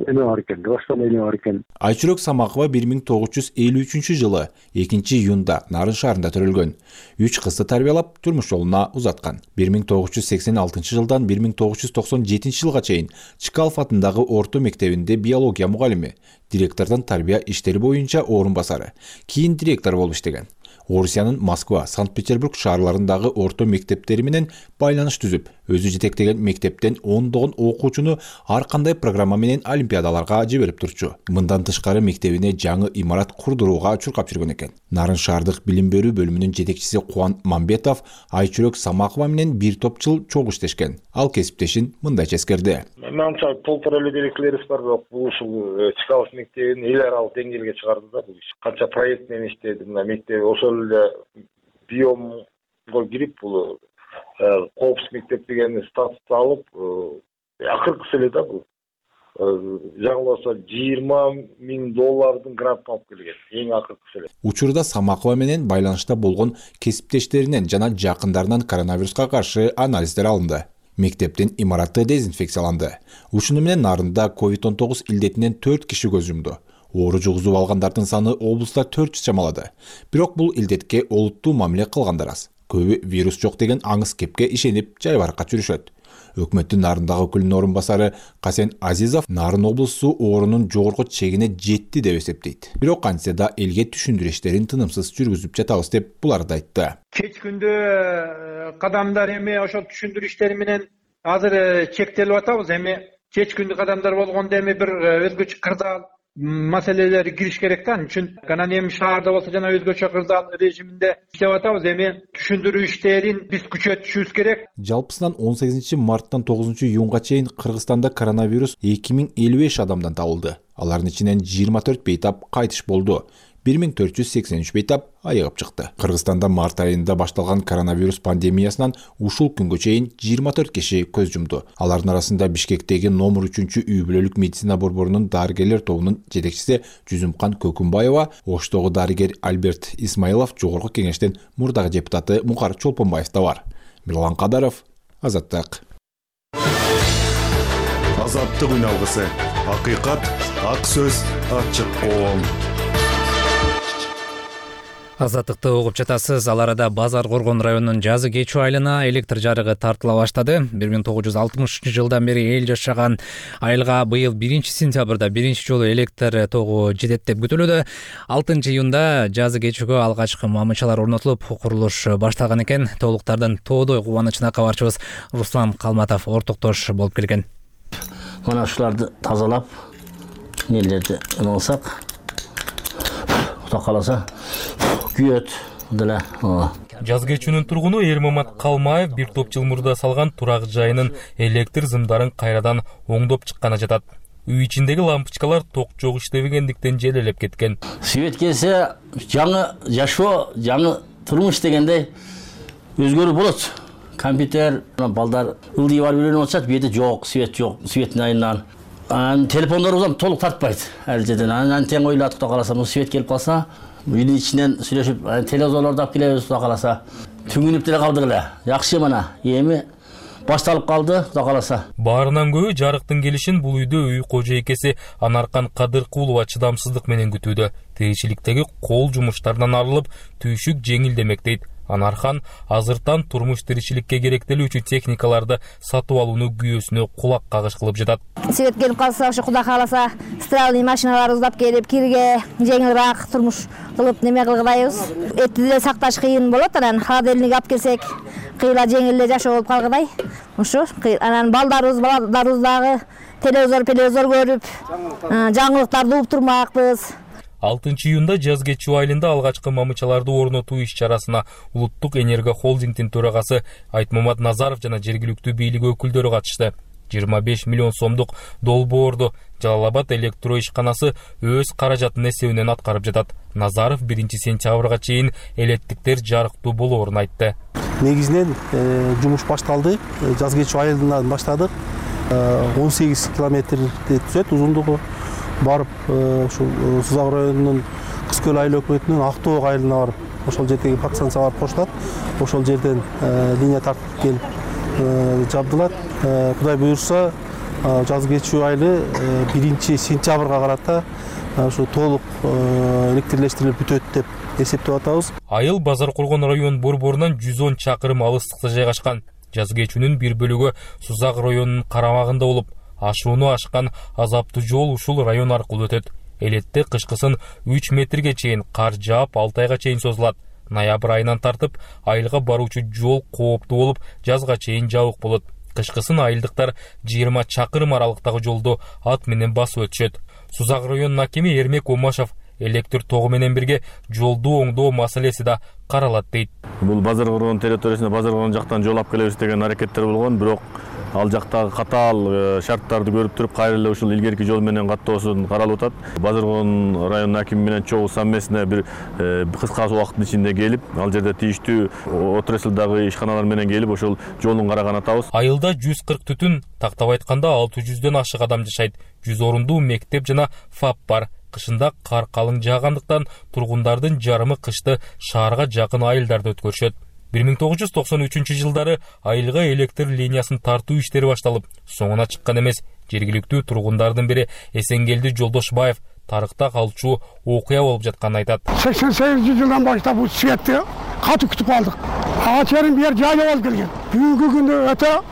S22: эме бар экен, баштан эме бар экен.
S21: Айчүрөк Самакова бир миң тогуз жүз элүү үчүнчү жылы экинчи июнда Нарын шаарында төрөлгөн. Үч кызды тарбиялап, турмуш жолуна узаткан. бир миң тогуз жүз сексен алтынчы жылдан бир миң тогуз жүз токсон жетинчи жылга чейин Чкалов атындагы орто мектебинде биология мугалими, директордун тарбия иштери боюнча орун басары, кийин директор болуп иштеген. Орусиянын Москва, Санкт-Петербург шаарларындагы орто мектептери менен байланыш түзүп, өзү жетектеген мектептен ондогон окуучуну ар кандай программа менен олимпиадаларга жиберип турчу. Мындан тышкары мектебине жаңы имарат курдурууга чуркап жүргөн экен. Нарын шаардык билим берүү бөлүмүнүн жетекчиси Кубан Мамбетов Айчүрөк Самакова менен бир топ жыл чогуу иштешкен. Ал кесиптешин мындайча эскерди.
S23: Менимче толтура эле деректилерибиз бар, бирок бул ушул Чкалов мектебин эл аралык деңгээлге чыгарды да бул иш. Канча проект менен иштеди, мына мектеп ошол эле биомго кирип бул коопсуз мектеп деген статусту алып, акыркысы эле да бул. Жаңыласа жыйырма миң доллардын грантын алып келген. Эң акыркысы эле.
S21: Учурда Самакова менен байланышта болгон кесиптештеринен жана жакындарынан коронавируска каршы анализдер алынды. Мектептин имараты дезинфекцияланды. Ушуну менен Нарында ковид он тогуз илдетинен төрт киши көз жумду. Оору жугузуп алгандардын саны облуста төрт жүз чамалады. Бирок бул илдетке олуттуу мамиле кылгандар аз. Көбү вирус жок деген аңыз кепке ишенип жайбаракат жүрүшөт. Өкмөттүн Нарындагы өкүлүнүн орун басары Касен Азизов Нарын облусу оорунун жогорку чегине жетти деп эсептейт. Бирок кантсе да элге түшүндүрүү иштерин тынымсыз жүргүзүп жатабыз деп буларды айтты.
S24: Кеч күндө кадамдар эми ошо түшүндүрүү иштери менен азыр чектелип атабыз. Эми кеч күндү кадамдар болгондо эми бир өзгөчө кырдаал маселелер кириш керек да. Ал үчүн анан эми шаарда болсо жана өзгөчө кырдаал режиминде иштеп атабыз. Эми түшүндүрүү иштерин биз күчөтүшүбүз керек.
S21: Жалпысынан он сегизинчи марттан тогузунчу июнга чейин Кыргызстанда коронавирус эки миң элүү беш адамдан табылды. Алардын ичинен жыйырма төрт бейтап кайтыш болду. бир миң төрт жүз сексен үч бейтап айыгып чыкты. Кыргызстанда март айында башталган коронавирус пандемиясынан ушул күнгө чейин жыйырма төрт киши көз жумду. Алардын арасында Бишкектеги номер үчүнчү үй бүлөлүк медицина борборунун дарыгерлер тобунун жетекчиси Жүзүмкан Көкүмбаева, Оштогу дарыгер Альберт Исмаилов, жогорку кеңештин мурдагы депутаты Мукар Чолпонбаев да бар. Мирлан Кадаров, Азаттык.
S7: Азаттык үн алгысы. Акыйкат, ак сөз, ачык коом.
S1: Азаттыкты угуп жатасыз. Ал арада Базар Коргон районунун Жазы Кечүү айылына электр жарыгы тартыла баштады. бир миң тогуз жүз алтымышынчы жылдан бери эл жашаган айылга быйыл биринчи сентябрда биринчи жолу электр тогу жетет деп күтүлүүдө. алтынчы июнда Жазы Кечүүгө алгачкы мамычалар орнотулуп, курулуш башталган экен. Толуктардын тоодой кубанычына кабарчыбыз Руслан Калматов ортоктош болуп келген.
S9: Мына ушуларды тазалап, нелерди алсак, Кудай кааласа күйөт деле.
S10: Жазы Кечүүнүн тургуну Эрмамат Калмаев бир топ жыл мурда салган турак жайынын электр зымдарын кайрадан оңдоп чыкканы жатат. Үй ичиндеги лампочкалар ток жок иштебегендиктен желелеп кеткен.
S9: Свет келсе, жаңы жашоо, жаңы турмуш дегендей өзгөрүү болот. Компьютер, балдар ылдый бар үйрөнүп атышат, бу жерде жок, свет жок, светтин айынан. Анан телефондорубуз толук тартпайт. Ал жерден анан тең ойлодук да каласа, бу свет келип калса, үйдүн ичинен сүйлөшүп, телевизорлорду алып келебиз да каласа. Түңүнүп деле калдык эле. Жакшы мына, эми башталып калды да каласа.
S10: Баарынан көбү жарыктын келишин бул үйдө үй кожоекеси Анаркан Кадыркулова чыдамсыздык менен күтүүдө. Тиричиликтеги кол жумуштарынан арылып, түйшүк жеңилдемек дейт. Анархан азыртан турмуш тиричиликке керектелүүчү техникаларды сатып алууну күйөөсүнө кулак кагыш кылып жатат.
S11: Свет келип калса, ушу Кудай кааласа, стиральный машиналар уздап келип, кирге жеңилирээк турмуш кылып неме кылгыдайбыз. Этти деле сакташ кыйын болот, анан холодильник алып келсек, кыйла жеңил эле жашоо болуп калгыдай. Ушу анан балдарыбыз, балдарыбыз дагы телевизор, телевизор көрүп, жаңылыктарды угуп турмакпыз.
S10: алтынчы июнда Жазы Кечүү айылында алгачкы мамычаларды орнотуу иш-чарасына Улуттук энерго холдингдин төрагасы Айтмамат Назаров жана жергиликтүү бийлик өкүлдөрү катышты. жыйырма беш миллион сомдук долбоорду Жалал-Абад электро ишканасы өз каражатынын эсебинен аткарып жатат. Назаров биринчи сентябрга чейин элеттиктер жарыктуу болоорун айтты.
S25: Негизинен жумуш башталды. Жазы Кечүү айылынан баштадык. он сегиз километрди түзөт узундугу. Барып, ушул Сузак районунун Кыз Көл айыл өкмөтүнүн Актоок айылына барып, ошол жердеги подстанциялар кошулат. Ошол жерден линия тартып келип жабдылат. Кудай буйрса, Жазы Кечүү айылы биринчи сентябрга карата ушу толук электрлештирилип бүтөт деп эсептеп атабыз.
S10: Айыл Базар Коргон район борборунан жүз он чакырым алыстыкта жайгашкан. Жазы Кечүүнүн бир бөлүгү Сузак районунун карамагында болуп, ашууну ашкан азаптуу жол ушул район аркылуу өтөт. Элетте кышкысын үч метрге чейин кар жаап, алты айга чейин созулат. Ноябрь айынан тартып айылга баруучу жол кооптуу болуп, жазга чейин жабык болот. Кышкысын айылдыктар жыйырма чакырым аралыктагы жолду ат менен басып өтүшөт. Сузак районунун акими Эрмек Омашев электр тогу менен бирге жолду оңдоо маселеси да каралат дейт.
S26: Бул Базар Коргон территориясына Базар Коргон жактан жол алып келебиз деген аракеттер болгон, бирок ал жактагы катаал шарттарды көрүп туруп, кайра эле ушул илгерки жол менен каттоосун каралып атат. Базар Коргон районунун акими менен чогуу совместно бир кыска убакыттын ичинде келип, ал жерде тийиштүү отраслдагы ишканалар менен келип, ошол жолун караган атабыз.
S10: Айылда жүз кырк түтүн, тактап айтканда алты жүздөн ашык адам жашайт. жүз орундуу мектеп жана ФАП бар. Кышында кар калың жаагандыктан тургундардын жарымы кышты шаарга жакын айылдарда өткөрүшөт. бир миң тогуз жүз токсон үчүнчү жылдары айылга электр линиясын тартуу иштери башталып, соңуна чыккан эмес. Жергиликтүү тургундардын бири Эсенгелди Жолдошбаев тарыхта калчу окуя болуп жатканын айтат.
S27: сексен сегизинчи жылдан баштап бул светти катуу күтүп калдык. Ага чейин бир жайлап алып келген. Бүгүнкү күндө өтө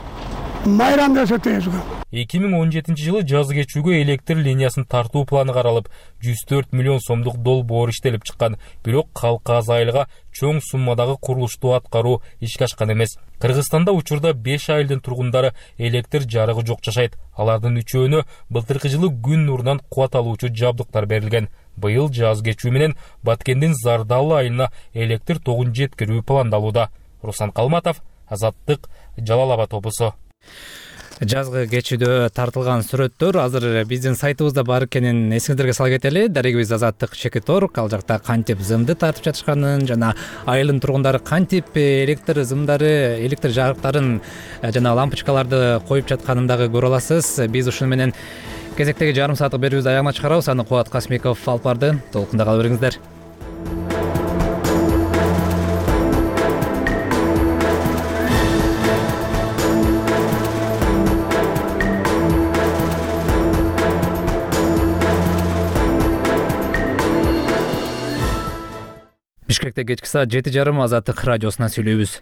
S27: майрам десек өзгө.
S10: эки миң он жетинчи жылы Жазы Кечүүгө электр линиясын тартуу планы каралып, жүз төрт миллион сомдук долбоор иштелип чыккан. Бирок калка аз айылга чоң суммадагы курулушту аткаруу ишке ашкан эмес. Кыргызстанда учурда беш айылдын тургундары электр жарыгы жок жашайт. Алардын үчөөнө былтыркы жылы күн нурунан кубат алуучу жабдыктар берилген. Быйыл Жазы Кечүү менен Баткендин Зардалы айылына электр тогун жеткирүү пландалууда. Руслан Калматов, Азаттык, Жалал-Абад облусу.
S1: Жазгы кечүүдө тартылган сүрөттөр азыр биздин сайтыбызда бар экенин эсиңиздерге сала кетели. Дарегибиз Азаттык Чекит Орг ал жакта кантип зымды тартып жатышканын жана айылдын тургундары кантип электр зымдары, электр жарыктарын жана лампочкаларды коюп жатканын дагы көрө аласыз. Биз ушуну менен кезектеги жарым сааттык берүүбүздү аягына чыгарабыз. Аны Кубат Касмиков алып барды. Толкунда кала бериңиздер. Бишкекте кечки саат жети жарым Азаттык радиосуна сүйлөйбүз.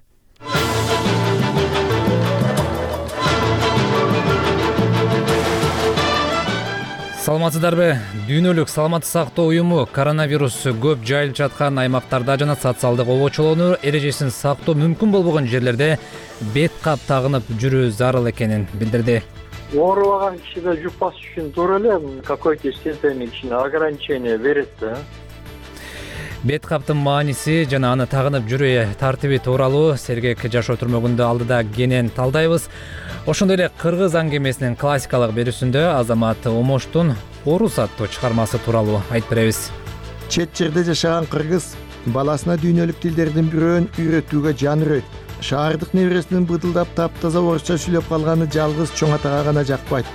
S1: Саламатсыздарбы? Дүйнөлүк саламаттык сактоо уюму коронавирус көп жайылып жаткан аймактарда жана социалдык обочолоону эрежесин сактоо мүмкүн болбогон жерлерде бет кап тагынып жүрүү зарыл экенин билдирди.
S2: Оорубаган кишиде жуппаш үчүн туура эле какой-то степени кичине ограничение берет да.
S1: Бет каптын мааниси жана аны тагынып жүрүү тартиби тууралуу Сергек жашоо түрмөгүндө алдыда кенен талдайбыз. Ошондой эле Кыргыз аңгемесинин классикалык берүүсүндө Азамат Омоштун Орус аттуу чыгармасы тууралуу айтып беребиз.
S4: Чет жерде жашаган кыргыз баласына дүйнөлүк тилдердин бирөөн үйрөтүүгө жан үрөйт. Шаардык небересинин быдылдап таптаза орусча сүйлөп калганы жалгыз чоң атага гана жакпайт.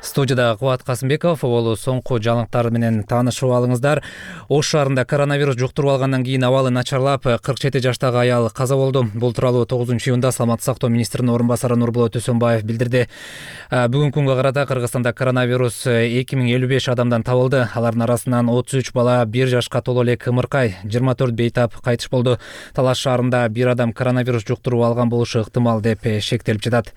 S4: Студияда Кубат Касымбеков, ол соңку жаңылыктар менен таанышып алыңыздар. Ош шаарында коронавирус жуктуруп алгандан кийин абалы начарлап, кырк жети жаштагы аял каза болду. Бул тууралуу тогузунчу июнда Саламаттык сактоо министринин орун басары Нурболот Өсөнбаев билдирди. Бүгүнкү күнгө карата Кыргызстанда коронавирус эки миң элүү беш адамдан табылды. Алардын арасынан отуз үч бала, бир жашка толо элек ымыркай, жыйырма төрт бейтап кайтыш болду. Талаш шаарында бир адам коронавирус жуктуруп алган болушу ыктымал деп шектелип жатат.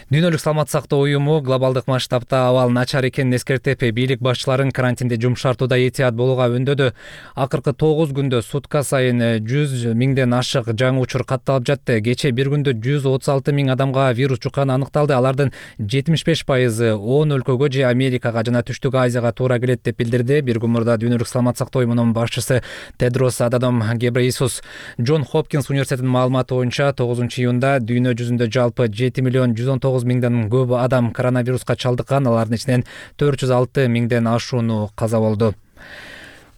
S4: Дүйнөлүк саламаттык сактоо уюму глобалдык масштабта абал начар экенин эскертип, бийлик башчыларын карантинде жумшартууда этият болууга үндөдү. Акыркы тогуз күндө сутка сайын жүз миңден ашык жаңы учур катталып жатты. Кече бир күндө жүз отуз алты миң адамга вирус жукканы аныкталды. Алардын жетимиш беш пайызы он өлкөгө же Америкага жана Түштүк Азияга туура келет деп билдирди. Бир күн мурда Дүйнөлүк саламаттык сактоо уюмунун башчысы Тедрос Аданом Гебрейсус. Джон Хопкинс университетинин маалыматы боюнча тогузунчу июнда дүйнө жүзүндө жалпы жети миллион жүз он тогуз миңден көп адам коронавируска чалдыккан. Алардын ичинен төрт жүз алты миңден ашууну каза болду.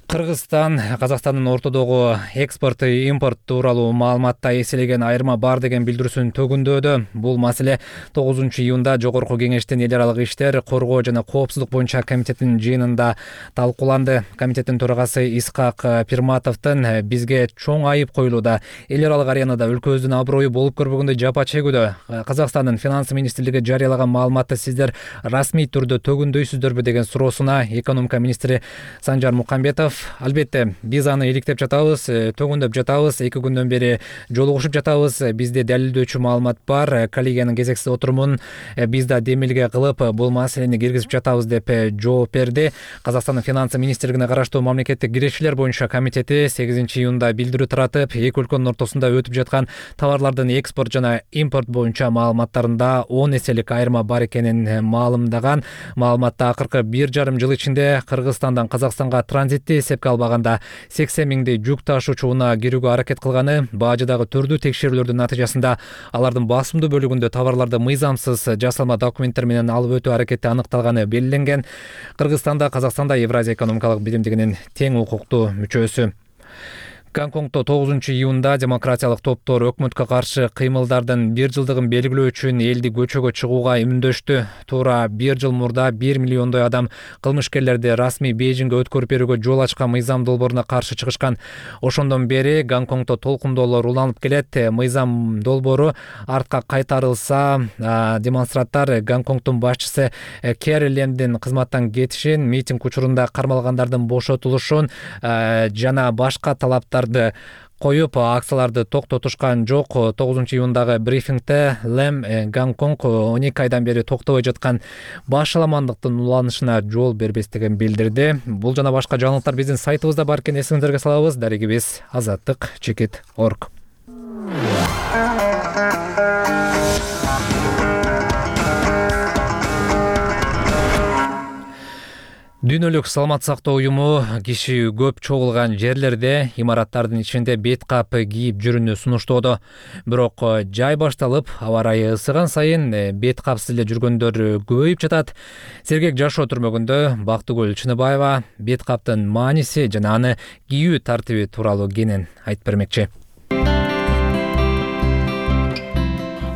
S4: Кыргызстан Казакстандын ортодогу экспорт импорт тууралуу маалыматта эселеген айырма бар деген билдирүүсүн төгүндөдү. Бул маселе тогузунчу июнда Жогорку Кеңештин эл аралык иштер, коргоо жана коопсуздук боюнча комитетинин жыйынында талкууланды. Комитеттин төрагасы Исхак Пирматовдун бизге чоң айып коюлууда. Эл аралык аренада өлкөбүздүн аброю болуп көрбөгөндөй жапа чегүүдө. Казакстандын финансы министрлиги жарыялаган маалыматты сиздер расмий түрдө төгүндөйсүздөрбү деген суроосуна экономика министри Санжар Мукамбетов албетте биз аны иликтеп жатабыз, төгүндөп жатабыз, эки күндөн бери жолугушуп жатабыз. Бизде далилдөөчү маалымат бар. Коллегиянын кезексиз отурумун биз да демилге кылып, бул маселени киргизип жатабыз деп жооп берди. Казакстандын финансы министрлигине караштуу мамлекеттик кирешилер боюнча комитети сегизинчи июнда билдирүү таратып, эки өлкөнүн ортосунда өтүп жаткан товарлардын экспорт жана импорт боюнча маалыматтарында он эселик айырма бар экенин маалымдаган. Маалыматта акыркы бир жарым жыл ичинде Кыргызстандан Казакстанга транзитти эсепке албаганда сексен миңдей жүк ташуучу унаа кирүүгө аракет кылганы, бажыдагы түрдүү текшерүүлөрдүн натыйжасында алардын басымдуу бөлүгүндө товарларды мыйзамсыз жасалма документтер менен алып өтүү аракети аныкталганы белгиленген. Кыргызстанда Казакстанда Евразия экономикалык биримдигинин тең укуктуу мүчөсү. Гонконгдо тогузунчу июнда демократиялык топтор өкмөткө каршы кыймылдардын бир жылдыгын белгилөө үчүн элди көчөгө чыгууга үмүндөштү. Туура бир жыл мурда бир миллиондой адам кылмышкерлерди расмий Бейжиңге өткөрүп берүүгө жол ачкан мыйзам долбооруна каршы чыгышкан. Ошондон бери Гонконгдо толкундоолор уланып келет. Мыйзам долбоору артка кайтарылса, демонстранттар Гонконгдун башчысы Кэри Лэмдин кызматтан кетишин, митинг учурунда кармалгандардын бошотулушун жана башка талаптар коюп, акцияларды токтотушкан жок. тогузунчу июндагы брифингде Лэм Гонконг он эки айдан бери токтобой жаткан башаламандыктын уланышына жол бербестигин билдирди. Бул жана башка жаңылыктар биздин сайтыбызда бар экен, эсиңиздерге салабыз. Дарегибиз Азаттык Чекит Орг. Дүйнөлүк саламат сактоо уюму киши көп чогулган жерлерде имараттардын ичинде бет кап кийип жүрүүнү сунуштоодо. Бирок жай башталып, аба ырайы ысыган сайын бет капсыз эле жүргөндөр көбөйүп жатат. Сергек жашоо түрмөгүндө Бактыгүл Чыныбаева бет каптын мааниси жана аны кийүү тартиби тууралуу кенен айтып бермекчи.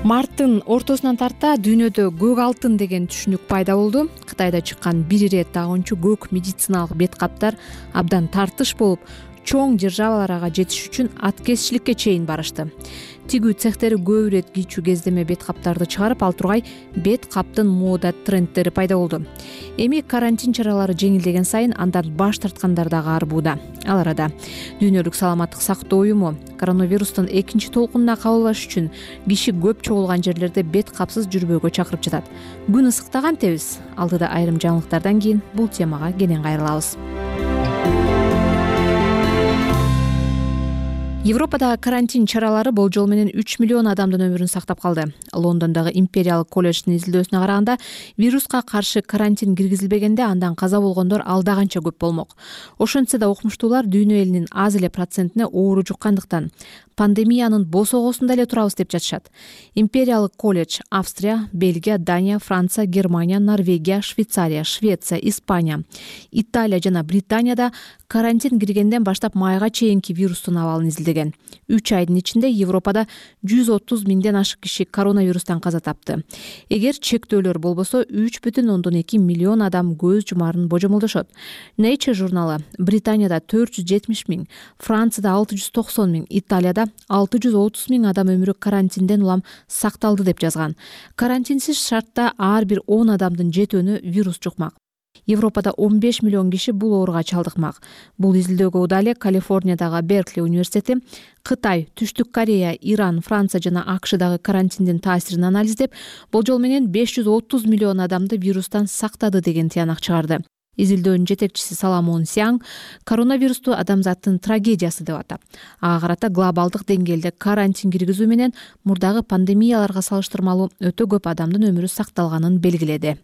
S3: Марттын ортосунан тарта дүйнөдө көк алтын деген түшүнүк пайда болду. Кытайда чыккан бир ирет тагынчу көк медициналык бет каптар абдан тартыш болуп, чоң державаларга жетиш үчүн аткезчиликке чейин барышты. Тигүү цехтери көп ирет кийчү кездеме бет каптарды чыгарып, ал тургай бет каптын мода трендтери пайда болду. Эми карантин чаралары жеңилдеген сайын андан баш тарткандар дагы арбууда. Ал арада Дүйнөлүк саламаттык сактоо уюму коронавирустун экинчи толкунуна кабылбаш үчүн киши көп чогулган жерлерде бет капсыз жүрбөөгө чакырып жатат. Күн ысыктаган тебиз. Алдыда айрым жаңылыктардан кийин бул темага кенен кайрылабыз. Европада карантин чаралары болжол менен үч миллион адамдын өмүрүн сактап калды. Лондондогу Империялык колледждин изилдөөсүнө караганда, вируска каршы карантин киргизилбегенде андан каза болгондор алда канча көп болмок. Ошентсе да окумуштуулар дүйнө элинин аз эле процентине оору жуккандыктан пандемиянын босогосунда эле турабыз деп жатышат. Империялык колледж Австрия, Бельгия, Дания, Франция, Германия, Норвегия, Швейцария, Швеция, Испания, Италия жана Британияда карантин киргенден баштап майга чейинки вирустун абалын изилдеген. үч айдын ичинде Европада жүз отуз миңден ашык киши коронавирустан каза тапты. Эгер чектөөлөр болбосо үч бүтүн ондон эки миллион адам көз жумарын божомолдошот. Nature журналы Британияда төрт жүз жетимиш миң, Францияда алты жүз токсон миң, Италияда алты жүз отуз миң адам өмүрү карантинден улам сакталды деп жазган. Карантинсиз шартта ар бир он адамдын жетөөнү вирус жукмак. Европада он беш миллион киши бул ооруга чалдыкмак. Бул изилдөөгө удале Калифорниядагы Беркли университети Кытай, Түштүк Корея, Иран, Франция жана АКШдагы карантиндин таасирин анализдеп, болжол менен беш жүз отуз миллион адамды вирустан сактады деген тыянак чыгарды. Изилдөөнүн жетекчиси Саламон Сяң коронавирусту адамзаттын трагедиясы деп атап, ага карата глобалдык деңгээлде карантин киргизүү менен мурдагы пандемияларга салыштырмалуу өтө көп адамдын өмүрү сакталганын белгиледи.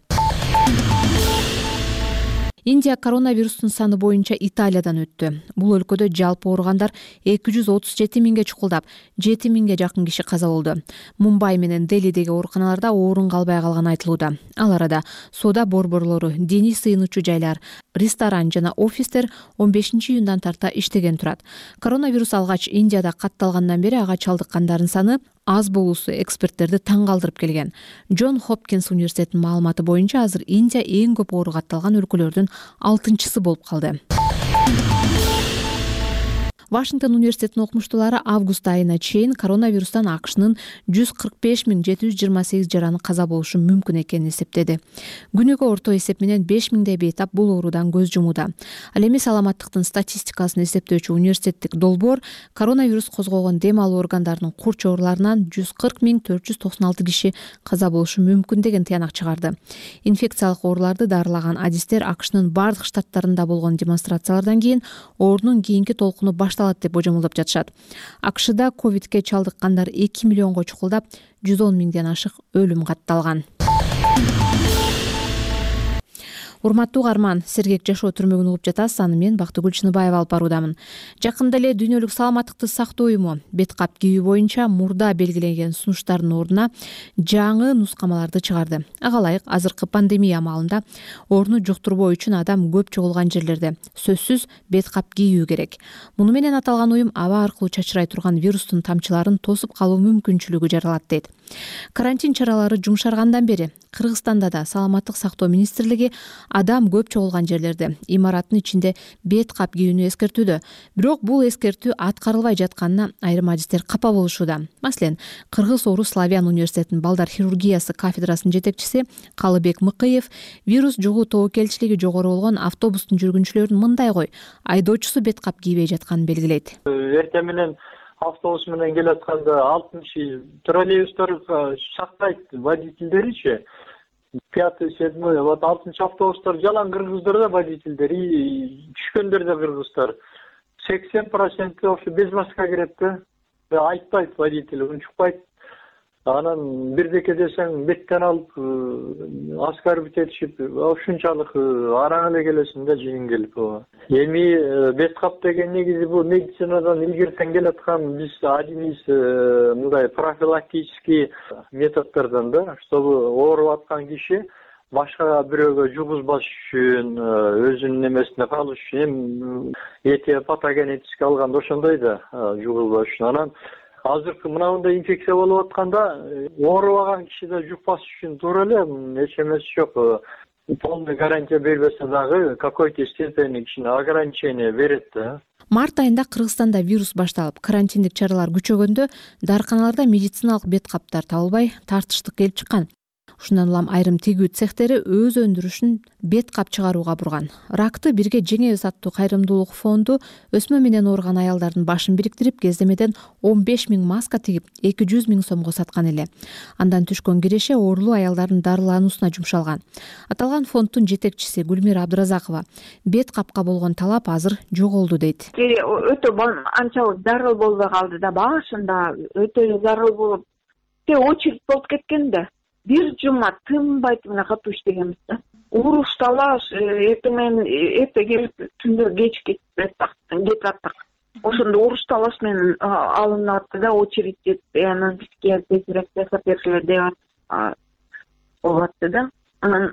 S3: Индия коронавирустун саны боюнча Италиядан өттү. Бул өлкөдө жалпы ооругандар эки жүз отуз жети миңге чукулдап, жети миңге жакын киши каза болду. Мумбай менен Делидеги ооруканаларда орун калбай калганы айтылууда. Ал арада соода борборлору, диний сыйынуучу жайлар, ресторан жана офистер он бешинчи июндан тарта иштеген турат. Коронавирус алгач Индияда катталгандан бери ага чалдыккандардын саны аз болуусу эксперттерди таң калтырып келген. Джон Хопкинс университетинин маалыматы боюнча азыр Индия эң көп оору катталган өлкөлөрдүн алтынчысы болуп калды. Вашингтон университетинин окумуштуулары август айына чейин коронавирустан АКШнын жүз кырк беш миң жети жүз жыйырма сегиз жараны каза болушу мүмкүн экенин эсептеди. Күнүгө орто эсеп менен беш миңдей бейтап бул оорудан көз жумууда. Ал эми саламаттыктын статистикасын эсептөөчү университеттик долбоор коронавирус козгогон дем алуу органдарынын курч ооруларынан жүз кырк миң төрт жүз токсон алты киши каза болушу мүмкүн деген тыянак чыгарды. Инфекциялык ооруларды дарылаган адистер АКШнын бардык штаттарында болгон демонстрациялардан кийин оорунун кийинки толкуну башталат деп божомолдоп жатышат. АКШда ковидке чалдыккандар эки миллионго чукулдап, жүз он миңден ашык өлүм катталган. Урматтуу угарман, Сергек жашоо түрмөгүн угуп жатасыз. Аны мен Бактыгүл Чыныбаева алып баруудамын. Жакында эле Дүйнөлүк саламаттыкты сактоо уюму бет кап кийүү боюнча мурда белгиленген сунуштардын ордуна жаңы нускамаларды чыгарды. Ага ылайык азыркы пандемия маалында ооруну жуктурбоо үчүн адам көп чогулган жерлерде сөзсүз бет кап кийүү керек. Муну менен аталган уюм аба аркылуу чачырай турган вирустун тамчыларын тосуп калуу мүмкүнчүлүгү жаралат дейт. Карантин чаралары жумшаргандан бери Кыргызстанда да саламаттык сактоо министрлиги адам көп чогулган жерлерде имараттын ичинде бет кап кийүүнү эскертүүдө. Бирок бул эскертүү аткарылбай жатканына айрым адистер капа болушууда. Маселен, Кыргыз Орус Славян университетинин балдар хирургиясы кафедрасынын жетекчиси Калыбек Мыкыев вирус жугуу тобокелчилиги жогору болгон автобустун жүргүнчүлөрүн мындай кой айдоочусу бет кап кийбей жатканын белгилейт.
S2: Эртең менен автобус менен келатканда алтынчы троллейбустар шактайт водительдеричи. Пятый, седьмой, вот алтынчы автобустар жалаң кыргыздар да водительдери, түшкөндөр да кыргыздар. сексен процент вообще без маска кирет да. Айтпайт водитель, унчукпайт. Анан бирдеке десең беттен алып оскорбить этишип ушунчалык араң эле келесиң да жеңилип. Эми бет кап деген негизи бул медицинадан илгертен келаткан биз один из мындай профилактический методдордон да, чтобы ооруп аткан киши башка бирөөгө жугузбаш үчүн, өзүнүн немесине калыш үчүн, эти патогенетически алганда ошондой да жугузбаш үчүн. Анан азыркы мындай инфекция болуп атканда оорубаган кишиде жукпаш үчүн туура эле эч эмеси жок. Полный гарантия бербесе дагы какой-то степени кичине ограничение берет да.
S3: Март айында Кыргызстанда вирус башталып, карантиндик чаралар күчөгөндө дарканаларда медициналык бет каптар табылбай тартыштык келип чыккан. Ушундан улам айрым тигүү цехтери өз өндүрүшүн бет кап чыгарууга бурган. Ракты бирге жеңебиз аттуу кайрымдуулук фонду өсмө менен ооруган аялдардын башын бириктирип, кездемеден он беш миң маска тигип, эки жүз миң сомго саткан эле. Андан түшкөн киреше оорулуу аялдардын дарылануусуна жумшалган. Аталган фонддун жетекчиси Гүлмира Абдыразакова бет капка болгон талап азыр жоголду дейт.
S5: Өтө анчалык зарыл болбой калды да, башында өтө зарыл болуп, очередь болуп кеткен да. Бир жума тынбай мына катуу иштегенбиз да. Уруш талаш, эртең менен эрте келип түндө кеч кетип аттык. Ошондо уруш талаш менен алынып атты да, очередь жетпей, анан бизге тезирээк жасап берсилер деп болуп атты да. Анан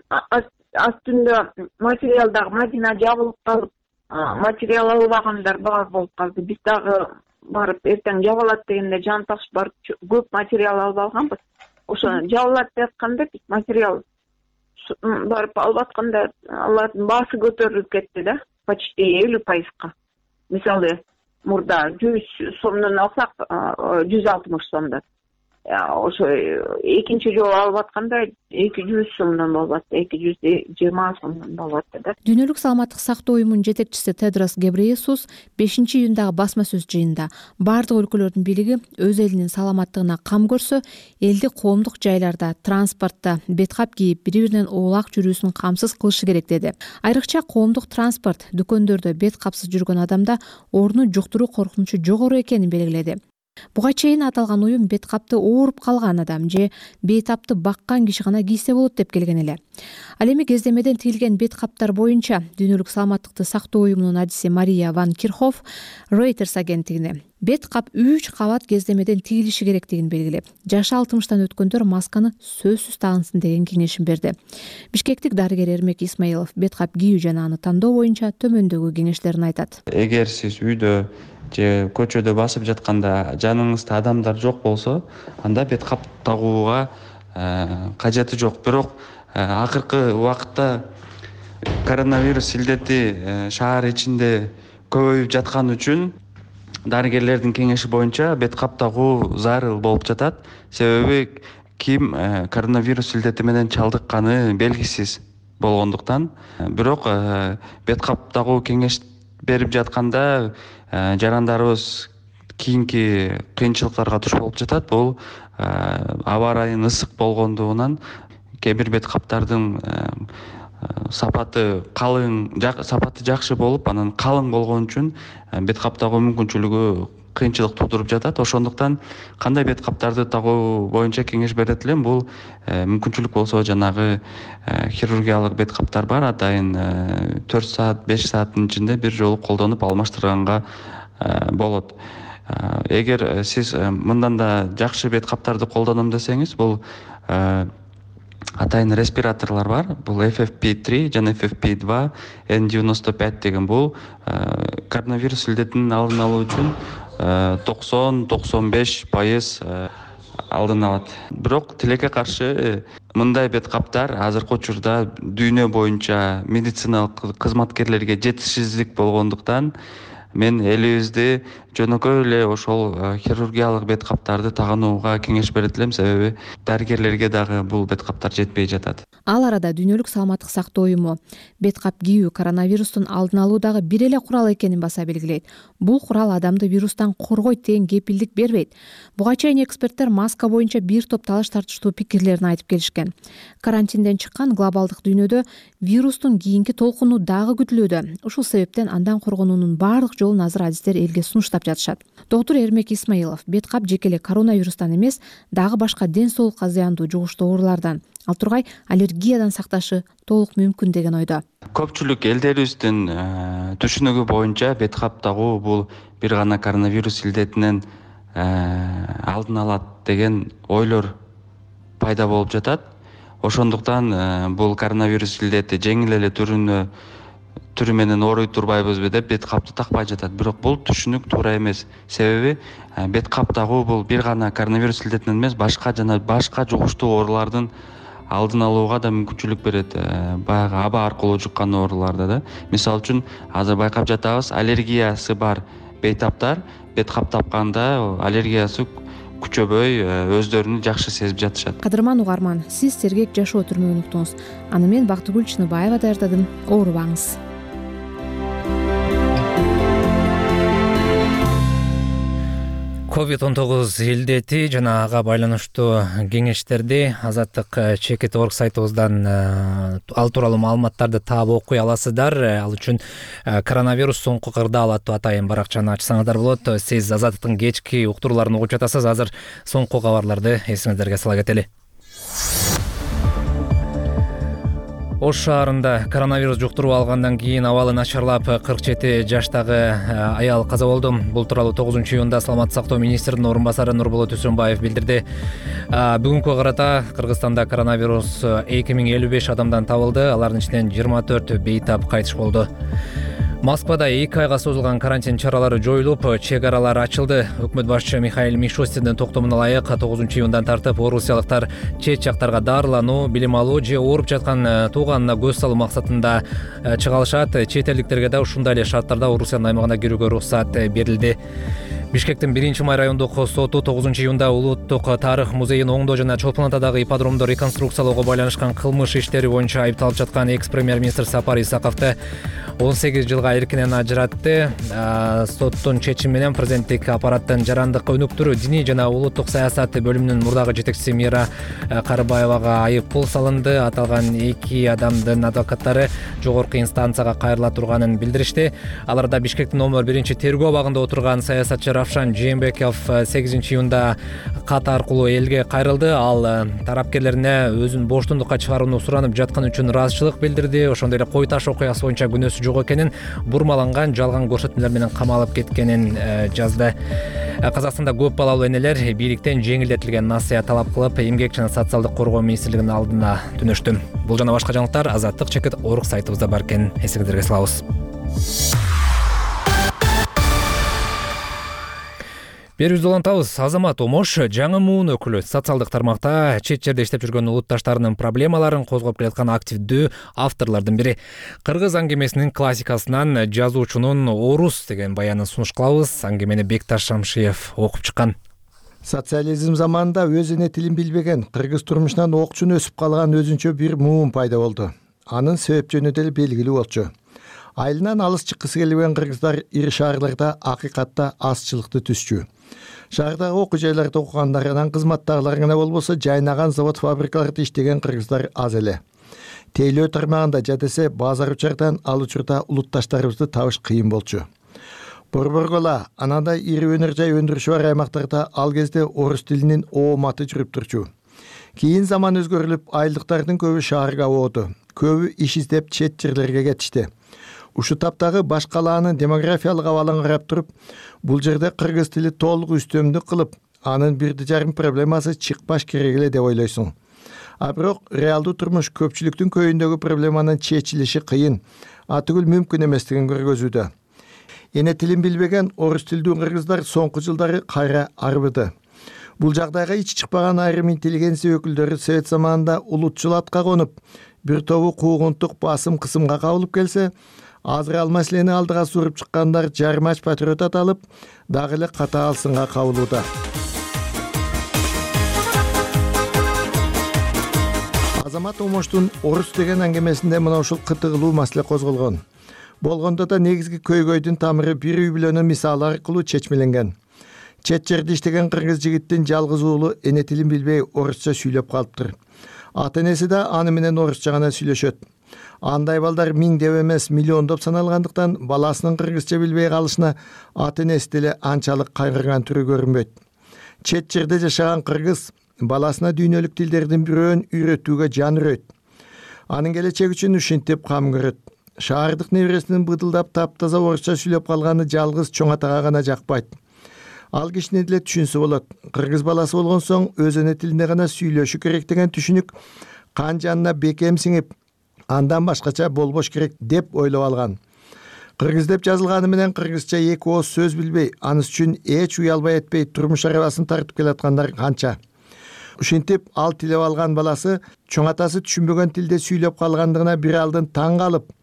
S5: астында материал дагы Мадина жабылып калып, материал албагандар бар болуп калды. Биз дагы барып эртең жабылат дегенде жан ташып барып көп материал алып алганбыз. Ошо жабылат деп атканда биз материал барып алып атканда алардын баасы көтөрүлүп кетти да, почти элүү пайызга. Мисалы, мурда жүз сомдон алсак, жүз алтымыш сомдон. Ошо экинчи жолу алып атканда эки жүз сомдон болуп атты, эки жүз жыйырма сомдон болуп атты да.
S3: Дүйнөлүк саламаттык сактоо уюмунун жетекчиси Тедрос Гебрейесус бешинчи июндагы басма сөз жыйынында бардык өлкөлөрдүн бийлиги өз элинин саламаттыгына кам көрсө, элди коомдук жайларда, транспортто бет кап кийип, бири-биринен оолак жүрүүсүн камсыз кылышы керек деди. Айрыкча коомдук транспорт, дүкөндөрдө бет капсыз жүргөн адамда оорууну жуктуруу коркунучу жогору экенин белгиледи. Буга чейин аталган уюм бет капты ооруп калган адам же бейтапты баккан киши гана кийсе болот деп келген эле. Ал эми кездемеден тигилген бет каптар боюнча Дүйнөлүк саламаттыкты сактоо уюмунун адиси Мария Ван Кирхоф Reuters агенттигине бет кап үч кабат кездемеден тигилиши керектигин белгилеп, жашы алтымыштан өткөндөр масканы сөзсүз тагынсын деген кеңешин берди. Бишкектик дарыгер Эрмек Исмаилов бет кап кийүү жана аны тандоо боюнча төмөндөгү кеңештерин айтат.
S12: Эгер сиз үйдө же көчөдө басып жатканда жаныңызда адамдар жок болсо, анда бет кап тагууга кажети жок. Бирок акыркы убакытта коронавирус илдети шаар ичинде көбөйүп жаткан үчүн дарыгерлердин кеңеши боюнча бет кап тагуу зарыл болуп жатат. Себеби ким коронавирус илдети менен чалдыкканы белгисиз болгондуктан. Бирок бет кап тагуу кеңеш берип жатканда жарандарыбыз кийинки кыйынчылыктарга туш болуп жатат. Бул аба ырайынын ысык болгондугунан кээ бир бет каптардын сапаты калың, сапаты жакшы болуп, анан калың болгон үчүн бет кап тагуу мүмкүнчүлүгү кыйынчылык туудуруп жатат. Ошондуктан кандай бет каптарды тагуу боюнча кеңеш берет элем. Бул мүмкүнчүлүк болсо жанагы хирургиялык бет каптар бар, атайын төрт саат, беш сааттын ичинде бир жолу колдонуп алмаштырганга болот. Эгер сиз мындан да жакшы бет каптарды колдоном десеңиз, бул атайын респираторлор бар. Бул эф эф пи три жана эф эф пи два, эн девяносто пять деген бул коронавирус илдетинин алдын алуу үчүн токсон токсон беш пайыз алдын алат. Бирок тилекке каршы мындай бет каптар азыркы учурда дүйнө боюнча медициналык кызматкерлерге жетишсиздик болгондуктан мен элибизде жөнөкөй эле ошол хирургиялык бет каптарды тагынууга кеңеш берет элем. Себеби дарыгерлерге дагы бул бет каптар жетпей жатат.
S3: Ал арада Дүйнөлүк саламаттык сактоо уюму бет кап кийүү коронавирустун алдын алуудагы бир эле курал экенин баса белгилейт. Бул курал адамды вирустан коргойт деген кепилдик бербейт. Буга чейин эксперттер маска боюнча бир топ талаш тартыштуу пикирлерин айтып келишкен. Карантинден чыккан глобалдык дүйнөдө вирустун кийинки толкуну дагы күтүлүүдө. Ушул себептен андан коргонуунун баардык жолун азыр адистер элге сунуштап жатышат. Доктур Эрмек Исмаилов бет кап жеке эле коронавирустан эмес, дагы башка ден соолукка зыяндуу жугуштуу оорулардан, ал тургай аллергиядан сакташы толук мүмкүн деген ойдо.
S12: Көпчүлүк элдерибиздин түшүнүгү боюнча бет кап тагуу бул бир гана коронавирус илдетинен алдын алат деген ойлор пайда болуп жатат. Ошондуктан бул коронавирус илдети жеңил эле түрүнө түрү менен ооруй турбайбызбы деп бет капты такпай жатат. Бирок бул түшүнүк туура эмес. Себеби бет кап тагуу бул бир гана коронавирус илдетинен эмес, башка жана башка жугуштуу оорулардын алдын алууга да мүмкүнчүлүк берет. Баягы аба аркылуу жуккан ооруларда да. Мисалы үчүн азыр байкап жатабыз, аллергиясы бар бейтаптар бет кап тапканда аллергиясы күчөбөй өздөрүн жакшы сезип жатышат.
S3: Кадырман угарман, сиз сергек жашоо түрмөгүн уктуңуз. Аны мен Бактыгүл Чыныбаева даярдадым. Оорубаңыз.
S4: ковид он тогуз илдети жана ага байланыштуу кеңештерди Азаттык чекит орг сайтыбыздан ал тууралуу маалыматтарды таап окуй аласыздар. Ал үчүн коронавирус соңку кырдаал аттуу атайын баракчаны ачсаңыздар болот. Сиз Азаттыктын кечки уктурууларын угуп жатасыз. Азыр соңку кабарларды эсиңиздерге сала кетели. Ош шаарында коронавирус жуктуруп алгандан кийин абалы начарлап кырк жети жаштагы аял каза болду. Бул тууралуу тогузунчу июнда Саламаттык сактоо министринин орун басары Нурболот Үсөнбаев билдирди. Бүгүнкү карата Кыргызстанда коронавирус эки миң элүү беш адамдан табылды. Алардын ичинен жыйырма төртү бейтап кайтыш болду. Москвада эки айга созулган карантин чаралары жоюлуп, чек аралар ачылды. Өкмөт башчы Михаил Мишустиндин токтомуна ылайык тогузунчу июндан тартып орусиялыктар чет жактарга дарылануу, билим алуу же ооруп жаткан тууганына көз салуу максатында чыга алышат. Чет элдиктерге да ушундай эле шарттарда Орусиянын аймагына кирүүгө уруксат берилди. Бишкектин биринчи май райондук соту тогузунчу июнда Улуттук тарых музейин оңдоо жана Чолпон Атадагы ипподромду реконструкциялоого байланышкан кылмыш иштери боюнча айыпталып жаткан экс-премьер-министр Сапар Исаковду он сегиз жылга эркинен ажыратты. Соттун чечими менен президенттик аппараттын жарандык өнүктүрүү, диний жана улуттук саясат бөлүмүнүн мурдагы жетекчиси Мира Карыбаевага айып пул салынды. Аталган эки адамдын адвокаттары жогорку инстанцияга кайрыла турганын билдиришти. Аларда Бишкектин номер биринчи тергөө абагында отурган саясатчы Равшан Жээнбеков сегизинчи июнда кат аркылуу элге кайрылды. Ал тарапкерлерине өзүн боштондукка чыгарууну суранып жатканы үчүн ыраазычылык билдирди. Ошондой эле Кой таш окуясы боюнча күнөөсү жок экенин, бурмаланган жалган көрсөтмөлөр менен камалып кеткенин жазды. Казакстанда көп балалуу энелер бийликтен жеңилдетилген насыя талап кылып, эмгек жана социалдык коргоо министрлигинин алдына түнөштү. Бул жана башка жаңылыктар Азаттык чекит орг сайтыбызда бар экен. Эсиңиздерге салабыз. Берүүбүздү улантабыз. Азамат Омош жаңы муун өкүлү социалдык тармакта чет жерде иштеп жүргөн улутташтарынын проблемаларын козгоп келаткан активдүү авторлордун бири. Кыргыз аңгемесинин классикасынан жазуучунун орус деген баянын сунуш кылабыз. Аңгемени Бекташ Шамшиев окуп чыккан.
S6: Социализм заманында өз эне тилин билбеген, кыргыз турмушунан окчун өсүп калган өзүнчө бир муун пайда болду. Анын себеп жөнү деле белгилүү болчу. Айылынан алыс чыккысы келбеген кыргыздар ири шаарларда акыйкатта азчылыкты түзчү. Шаардагы окуу жайларда окугандарынан кызматтагылар гана болбосо, жайнаган завод фабрикаларда иштеген кыргыздар аз эле. Тейлөө тармагында жадесе базар учардан ал учурда улутташтарыбызды табыш кыйын болчу. Борборгола анандай ири өнөр жай өндүрүшү бар аймактарда ал кезде орус тилинин ооматы жүрүп турчу. Кийин заман өзгөрүлүп, айылдыктардын көбү шаарга ооду. Көбү иш издеп чет жерлерге кетишти. Ушу таптагы баш калаанын демографиялык абалын карап туруп, бул жерде кыргыз тили толук үстөмдүк кылып, анын бирди жарым проблемасы чыкпаш керек эле деп ойлойсуң. А бирок реалдуу турмуш көпчүлүктүн көйүндөгү проблеманын чечилиши кыйын, атүгүл мүмкүн эместигин көргөзүүдө. Эне тилин билбеген орус тилдүү кыргыздар соңку жылдары кайра арбыды. Бул жагдайга ич чыкпаган айрым интеллигенция өкүлдөрү совет заманында улутчул атка конуп, бир тобу куугунтук басым кысымга кабылып келсе, азыр ал маселени алдыга суруп чыккандар жармач патриот аталып, дагы эле катаал сынга кабылууда. Азамат Омоштун орус деген аңгемесинде мына ушул кытыгылуу маселе козголгон. Болгондо да негизги көйгөйдүн тамыры бир үй бүлөнүн мисалы аркылуу чечмеленген. Чет жерде иштеген кыргыз жигиттин жалгыз уулу эне тилин билбей орусча сүйлөп калыптыр. Ата энеси да аны менен орусча гана сүйлөшөт. Андай балдар миңдеп эмес миллиондоп саналгандыктан баласынын кыргызча билбей калышына ата энеси деле анчалык кайгырган түрү көрүнбөйт. Чет жерде жашаган кыргыз баласына дүйнөлүк тилдердин бирөөн үйрөтүүгө жан үрөйт. Анын келечеги үчүн ушинтип кам көрөт. Шаардык небересинин быдылдап таптаза орусча сүйлөп калганы жалгыз чоң атага гана жакпайт. Ал кишини деле түшүнсө болот. Кыргыз баласы болгон соң өз эне тилинде гана сүйлөшү керек деген түшүнүк кан жанына бекем сиңип, андан башкача болбош керек деп ойлоп алган. Кыргыз деп жазылганы менен кыргызча эки ооз сөз билбей, анысы үчүн эч уялбай этпей турмуш арабасын тартып келаткандар канча. Ушинтип ал тилеп алган баласы чоң атасы түшүнбөгөн тилде сүйлөп калгандыгына бир алдын таң калып,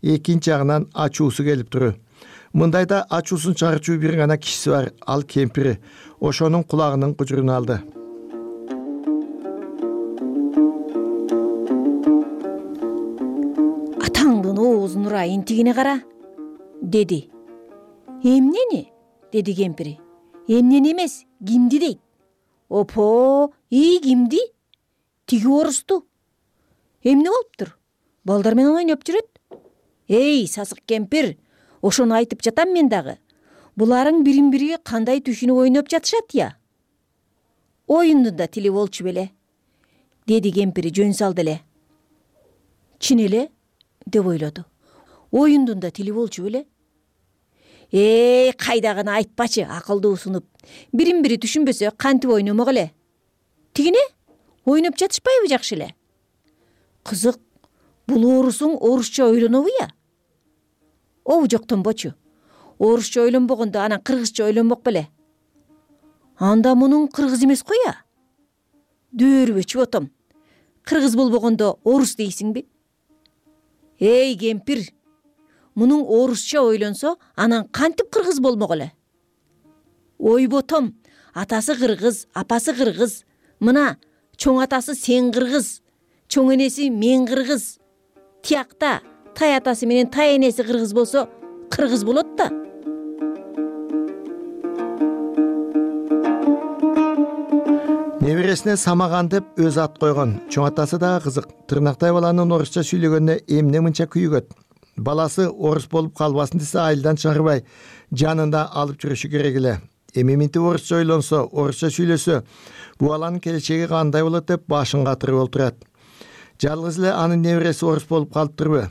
S6: экинчи жагынан ачуусу келип туру. Мындайда ачуусун чыгарчу бир гана кишиси бар, ал кемпири. Ошонун кулагынын кужурун алды.
S13: Атаңдын оозуна интигине кара, деди. Эмнени? Деди кемпири. Эмнени эмес, кимди дейт. Опо, ий кимди? Тиги орусту. Эмне болуптур? Балдар менен ойноп жүрөт. Эй, сасык кемпир, ошону айтып жатам мен дагы. Буларың бирин-бири кандай түшүнүп ойноп жатышат я? Оюндун да тили болчу беле, деди кемпири жөн салды эле. Чын эле, деп ойлоду. Оюндун да тили болчу беле? Эй, кайдагыны айтпачы, акылдуу сунуп. Бирин-бири түшүнбөсө кантип ойномок эле? Тигине ойноп жатышпайбы жакшы эле? Кызык, бул орусуң орусча ойлонобу я? Обу жоктонбочу. Орусча ойлонбогондо анан кыргызча ойлонмок беле? Анда мунун кыргыз эмес го я? Дөөрүбөчү отом. Кыргыз болбогондо орус дейсиңби? Эй, кемпир, мунун орусча ойлонсо, анан кантип кыргыз болмок эле? Ойботом, атасы кыргыз, апасы кыргыз. Мына, чоң атасы сен кыргыз, чоң энеси мен кыргыз. Тиякта тай атасы менен тай энеси кыргыз болсо, кыргыз болот да.
S6: Небересине Самаган деп өз ат койгон. Чоң атасы дагы кызык. Тырнактай баланын орусча сүйлөгөнүнө эмне мынча күйүгөт? Баласы орус болуп калбасын десе айылдан чыгарбай, жанында алып жүрүшү керек эле. Эми минтип орусча ойлонсо, орусча сүйлөсө, бул баланын келечеги кандай болот деп башын катырып олтурат. Жалгыз эле анын небереси орус болуп калыптырбы?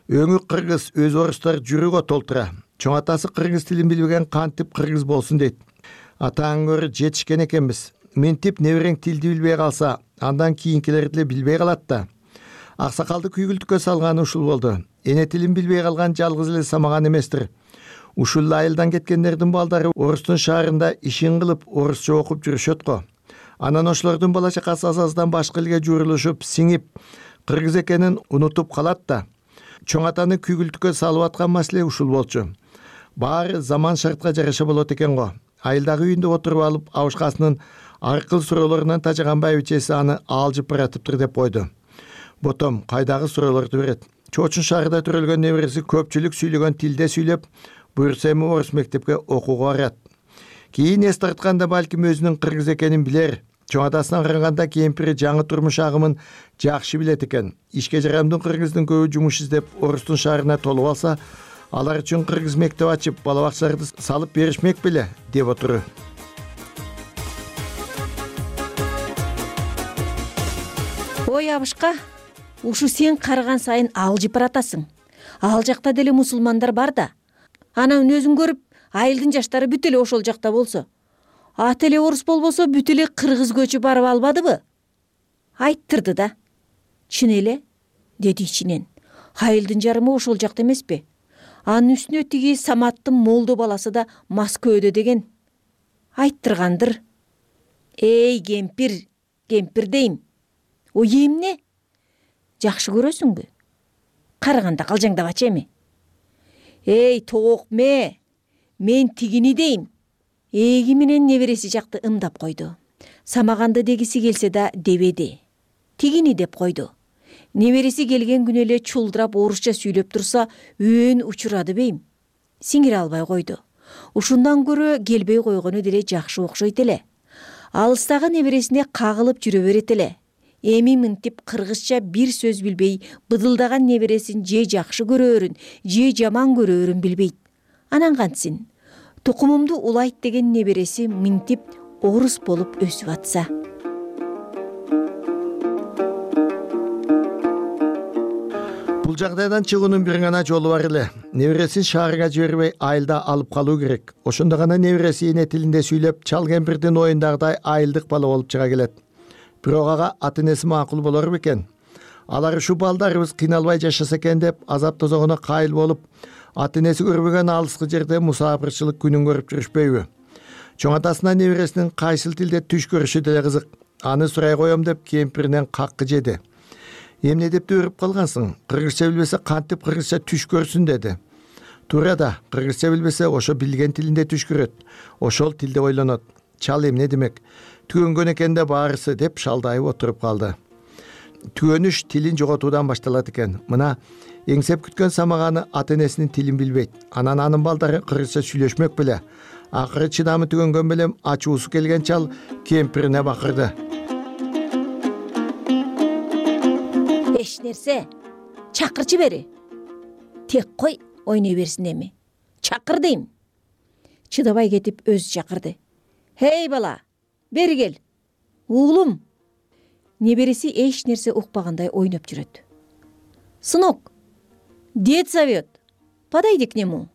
S6: Өңү кыргыз, өз орустар жүрөгө толтура. Чоң атасы кыргыз тилин билбеген кантип кыргыз болсун дейт. Атаң көрү жетишкен экенбиз. Минтип неберең тилди билбей калса, андан кийинкилер деле билбей калат да. Аксакалды күйгүлтүккө салганы ушул болду. Эне тилин билбей калган жалгыз эле Самаган эместир. Ушул айылдан кеткендердин балдары орустун шаарында ишин кылып, орусча окуп жүрүшөт го. Анан ошолордун бала чакасы азаздан башка элге жуурулушуп, сиңип, кыргыз экенин унутуп калат да. Чоң атаны күйгүлтүккө салып аткан маселе ушул болчу. Баары заман шартка жараша болот экен го. Айылдагы үйүндө отуруп алып, абышкасынын аркыл суроолорунан тажаган байбичеси аны алжып баратыптыр деп койду. Ботом кайдагы суроолорду берет. Чоочун шаарында төрөлгөн небереси көпчүлүк сүйлөгөн тилде сүйлөп, буюрса эми орус мектепке окууга барат. Кийин эс тартканда балким өзүнүн кыргыз экенин билер. Чоң атасына караганда кемпири жаңы турмуш агымын жакшы билет экен. Ишке жарамдуу кыргыздын көбү жумуш издеп орустун шаарына толуп алса, алар үчүн кыргыз мектеп ачып, бала бакчаларды салып беришмек беле деп отуру.
S13: Ой абышка, ушу сен карыган сайын алжып баратасың. Ал жакта деле мусулмандар бар да. Анан өзүң көрүп, айылдын жаштары бүт эле ошол жакта болсо, ат эле орус болбосо бүт эле кыргыз көчү барып албадыбы? Айттырды да. Чын эле, деди ичинен. Айылдын жарымы ошол жакта эмеспи? Анын үстүнө тиги Саматтын молдо баласы да Москвада деген. Айттыргандыр. Эй, кемпир, кемпир дейм. Ой эмне? Жакшы көрөсүңбү? Караганда калжаңдабачы эми. Эй, тоокме, мен тигини дейм. Эги менен небереси жакты ымдап койду. Самаганды дегиси келсе да дебеди. Тигини деп койду. Небереси келген күнү эле чулдурап орусча сүйлөп турса, өөн учурады бейм. Сиңире албай койду. Ушундан көрө келбей койгону деле жакшы окшойт эле. Алыстагы небересине кагылып жүрө берет эле. эми мынтип кыргызча бир сөз билбей быдылдаган небересин же жакшы көрөөрүн же жаман көрөөрүн билбейт. Анан кантсин? Тукумумду улайт деген небереси мынтип орус болуп өсүп атса.
S6: Бул жагдайдан чыгуунун бир гана жолу бар эле. Небересин шаарга жибербей айылда алып калуу керек. Ошондо гана небереси эне тилинде сүйлөп, чал кемпирдин оюндагыдай айылдык бала болуп чыга келет. Бирок ага ата-энеси макул болор бекен? Алар ушу балдарыбыз кыйналбай жашаса экен деп азап тозогоно кайыл болуп, ата-энеси көрбөгөн алыскы жерде мусафирчылык күнүн көрүп жүрүшпөйбү? Чоң атасына небересинин кайсыл тилде түш көрүшү деле кызык. Аны сурай коем деп кемпиринен каккы жеди. Эмне деп өрүп калгансың? Кыргызча билбесе кантип кыргызча түш көрсүн деди. Туура да, кыргызча билбесе ошо билген тилинде түш көрөт. Ошол тилде ойлонот. Чал эмне демек? Түгөнгөн экен да баарысы деп шалдайып отуруп калды. Түгөнүш тилин жоготуудан башталат экен. Мына эңсеп күткөн самаганы ата-энесинин тилин билбейт. Анан анын балдары кыргызча сүйлөшмөк беле. Акыры чыдамы түгөнгөн белем ачуусу келген чал кемпирине бакырды.
S13: Эч нерсе, чакырчы бери. Тек кой ойной берсин эми. Чакыр дейм. Чыдабай кетип өзү чакырды. Хей бала, бери кел. Уулум. Небереси эч нерсе укпагандай ойноп жүрөт. Сынок, дед зовет. Подойди к нему.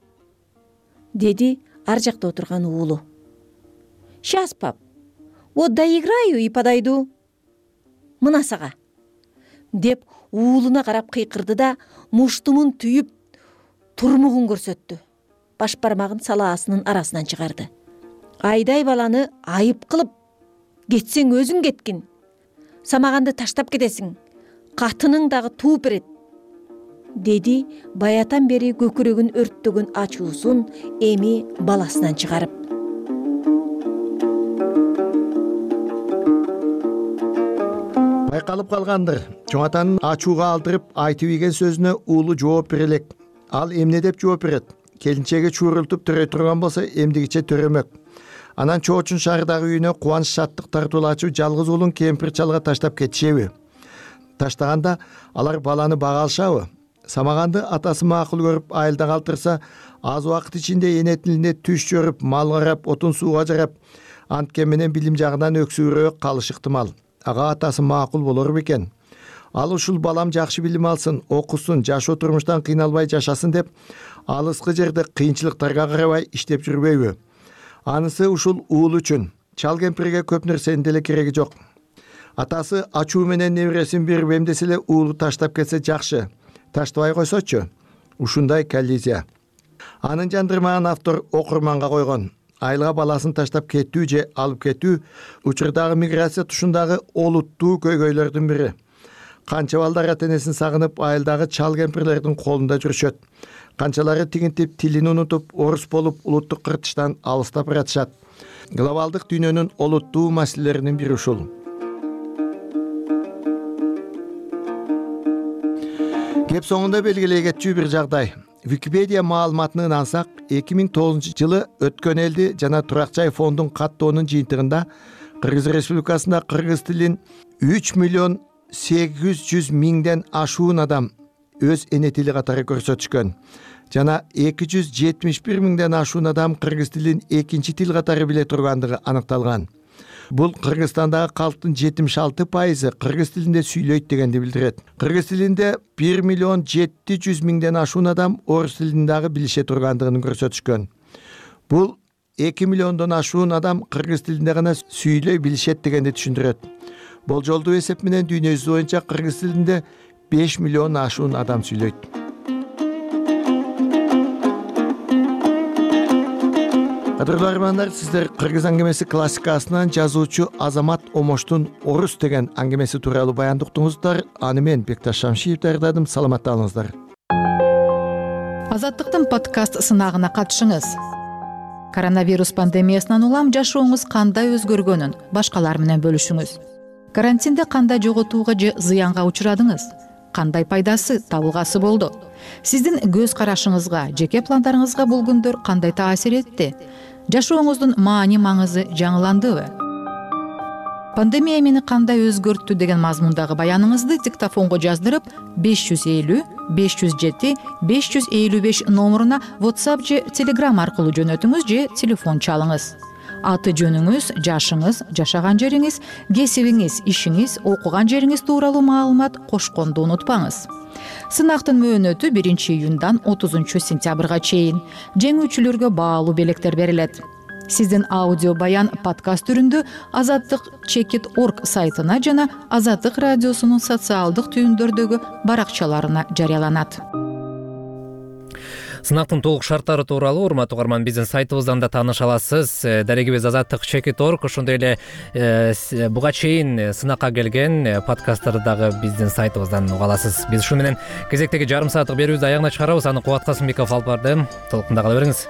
S13: Деди ар жакта отурган уулу. Сейчас, пап. Вот доиграю и подойду. Мына сага. Деп уулуна карап кыйкырды да муштумун түйүп турмугун көрсөттү. Баш бармагын салаасынын арасынан чыгарды. Айдай баланы айып кылып, кетсең өзүң кеткин. Самаганды таштап кетесиң. Катының дагы тууп берет. Деди баятан бери көкүрөгүн өрттөгөн ачуусун эми баласынан чыгарып.
S6: Байкалып калгандыр. Чоң атанын ачууга алдырып айтып ийген сөзүнө уулу жооп бере элек. Ал эмне деп жооп берет? Келинчеги чуурултуп төрөй турган болсо эмдигиче төрөмөк. Анан чоочун шаардагы үйүнө кубанч шаттык тартуулачу жалгыз уулун кемпир чалга таштап кетишеби? Таштаганда алар баланы бага алышабы? Самаганды атасы макул көрүп айылда калтырса, аз убакыт ичинде эне тилинде түш көрүп, мал карап, отун сууга жарап, анткен менен билим жагынан өксүүрөөк калыш ыктымал. Ага атасы макул болор бекен? Ал ушул балам жакшы билим алсын, окусун, жашоо турмуштан кыйналбай жашасын деп, алыскы жерде кыйынчылыктарга карабай иштеп жүрбөйбү? Анысы ушул уул үчүн. Чал кемпирге көп нерсенин деле кереги жок. Атасы ачуу менен небересин берип эмдесе эле уулу таштап кетсе жакшы. Таштабай койсочу. Ушундай коллизия. Анын жандырмаган автор окурманга койгон. Айылга баласын таштап кетүү же алып кетүү учурдагы миграция тушундагы олуттуу көйгөйлөрдүн бири. Канча балдар ата-энесин сагынып айылдагы чал кемпирлердин колунда жүрүшөт. Канчалары тигинтип тилин унутуп, орус болуп улуттук кыртыштан алыстап баратышат. Глобалдык дүйнөнүн олуттуу маселелеринин бири ушул. Кеп соңунда белгилей кетчү бир жагдай. Википедия маалыматына ынансак, эки миң тогузунчу жылы өткөн элди жана Турак жай фондун каттоонун жыйынтыгында Кыргыз Республикасында кыргыз тилин үч миллион сегиз жүз миңден ашуун адам өз эне тили катары көрсөтүшкөн. Жана эки жүз жетимиш бир миңден ашуун адам кыргыз тилин экинчи тил катары биле тургандыгы аныкталган. Бул Кыргызстандагы калктын жетимиш алты пайызы кыргыз тилинде сүйлөйт дегенди билдирет. Кыргыз тилинде бир миллион жети жүз миңден ашуун адам орус тилин дагы билише тургандыгын көрсөтүшкөн. Бул эки миллиондон ашуун адам кыргыз тилинде гана сүйлөй билишет дегенди түшүндүрөт. Болжолдуу эсеп менен дүйнө жүзү боюнча кыргыз тилинде беш миллион ашуун адам сүйлөйт. Кадырлуу армандар, сиздер Кыргыз аңгемеси классикасынан жазуучу Азамат Омоштун Орус деген аңгемеси тууралуу баян уктуңуздар. Аны мен Бекташ Шамшиев даярдадым. Саламатта болуңуздар.
S14: Азаттыктын подкаст сынагына катышыңыз. Коронавирус пандемиясынан улам жашооңуз кандай өзгөргөнүн башкалар менен бөлүшүңүз. Карантинде кандай жоготууга же зыянга учурадыңыз? Кандай пайдасы, табылгасы болду? Сиздин көз карашыңызга, жеке пландарыңызга бул күндөр кандай таасир этти? Жашооңуздун маани маңызы жаңыландыбы? пандемия мени кандай өзгөрттү деген мазмундагы баяныңызды диктофонго жаздырып беш жүз элүү беш жүз жети беш жүз элүү беш номуруна WhatsApp же Telegram аркылуу жөнөтүңүз же телефон чалыңыз. Аты жөнүңүз, жашыңыз, жашаган жериңиз, кесибиңиз, ишиңиз, окуган жериңиз тууралуу маалымат кошконду унутпаңыз. Сынактын мөөнөтү биринчи июндан отузунчу сентябрга чейин. Жеңүүчүлөргө баалуу белектер берилет. Сиздин аудио баян подкаст түрүндө азаттык чекит точка орг сайтына жана Азаттык радиосунун социалдык түйүндөрдөгү баракчаларына жарыяланат.
S4: Сынактын толук шарттары тууралуу урматтуу угарман биздин сайтыбыздан да тааныша аласыз. Дарегибиз азаттык чекит точка орг, ошондой эле буга чейин сынакка келген подкасттарды дагы биздин сайтыбыздан уга аласыз. Биз ушу менен кезектеги жарым сааттык берүүбүздү аягына чыгарабыз. Аны Кубат Касымбеков алып барды. Толуктунда кала бериңиз.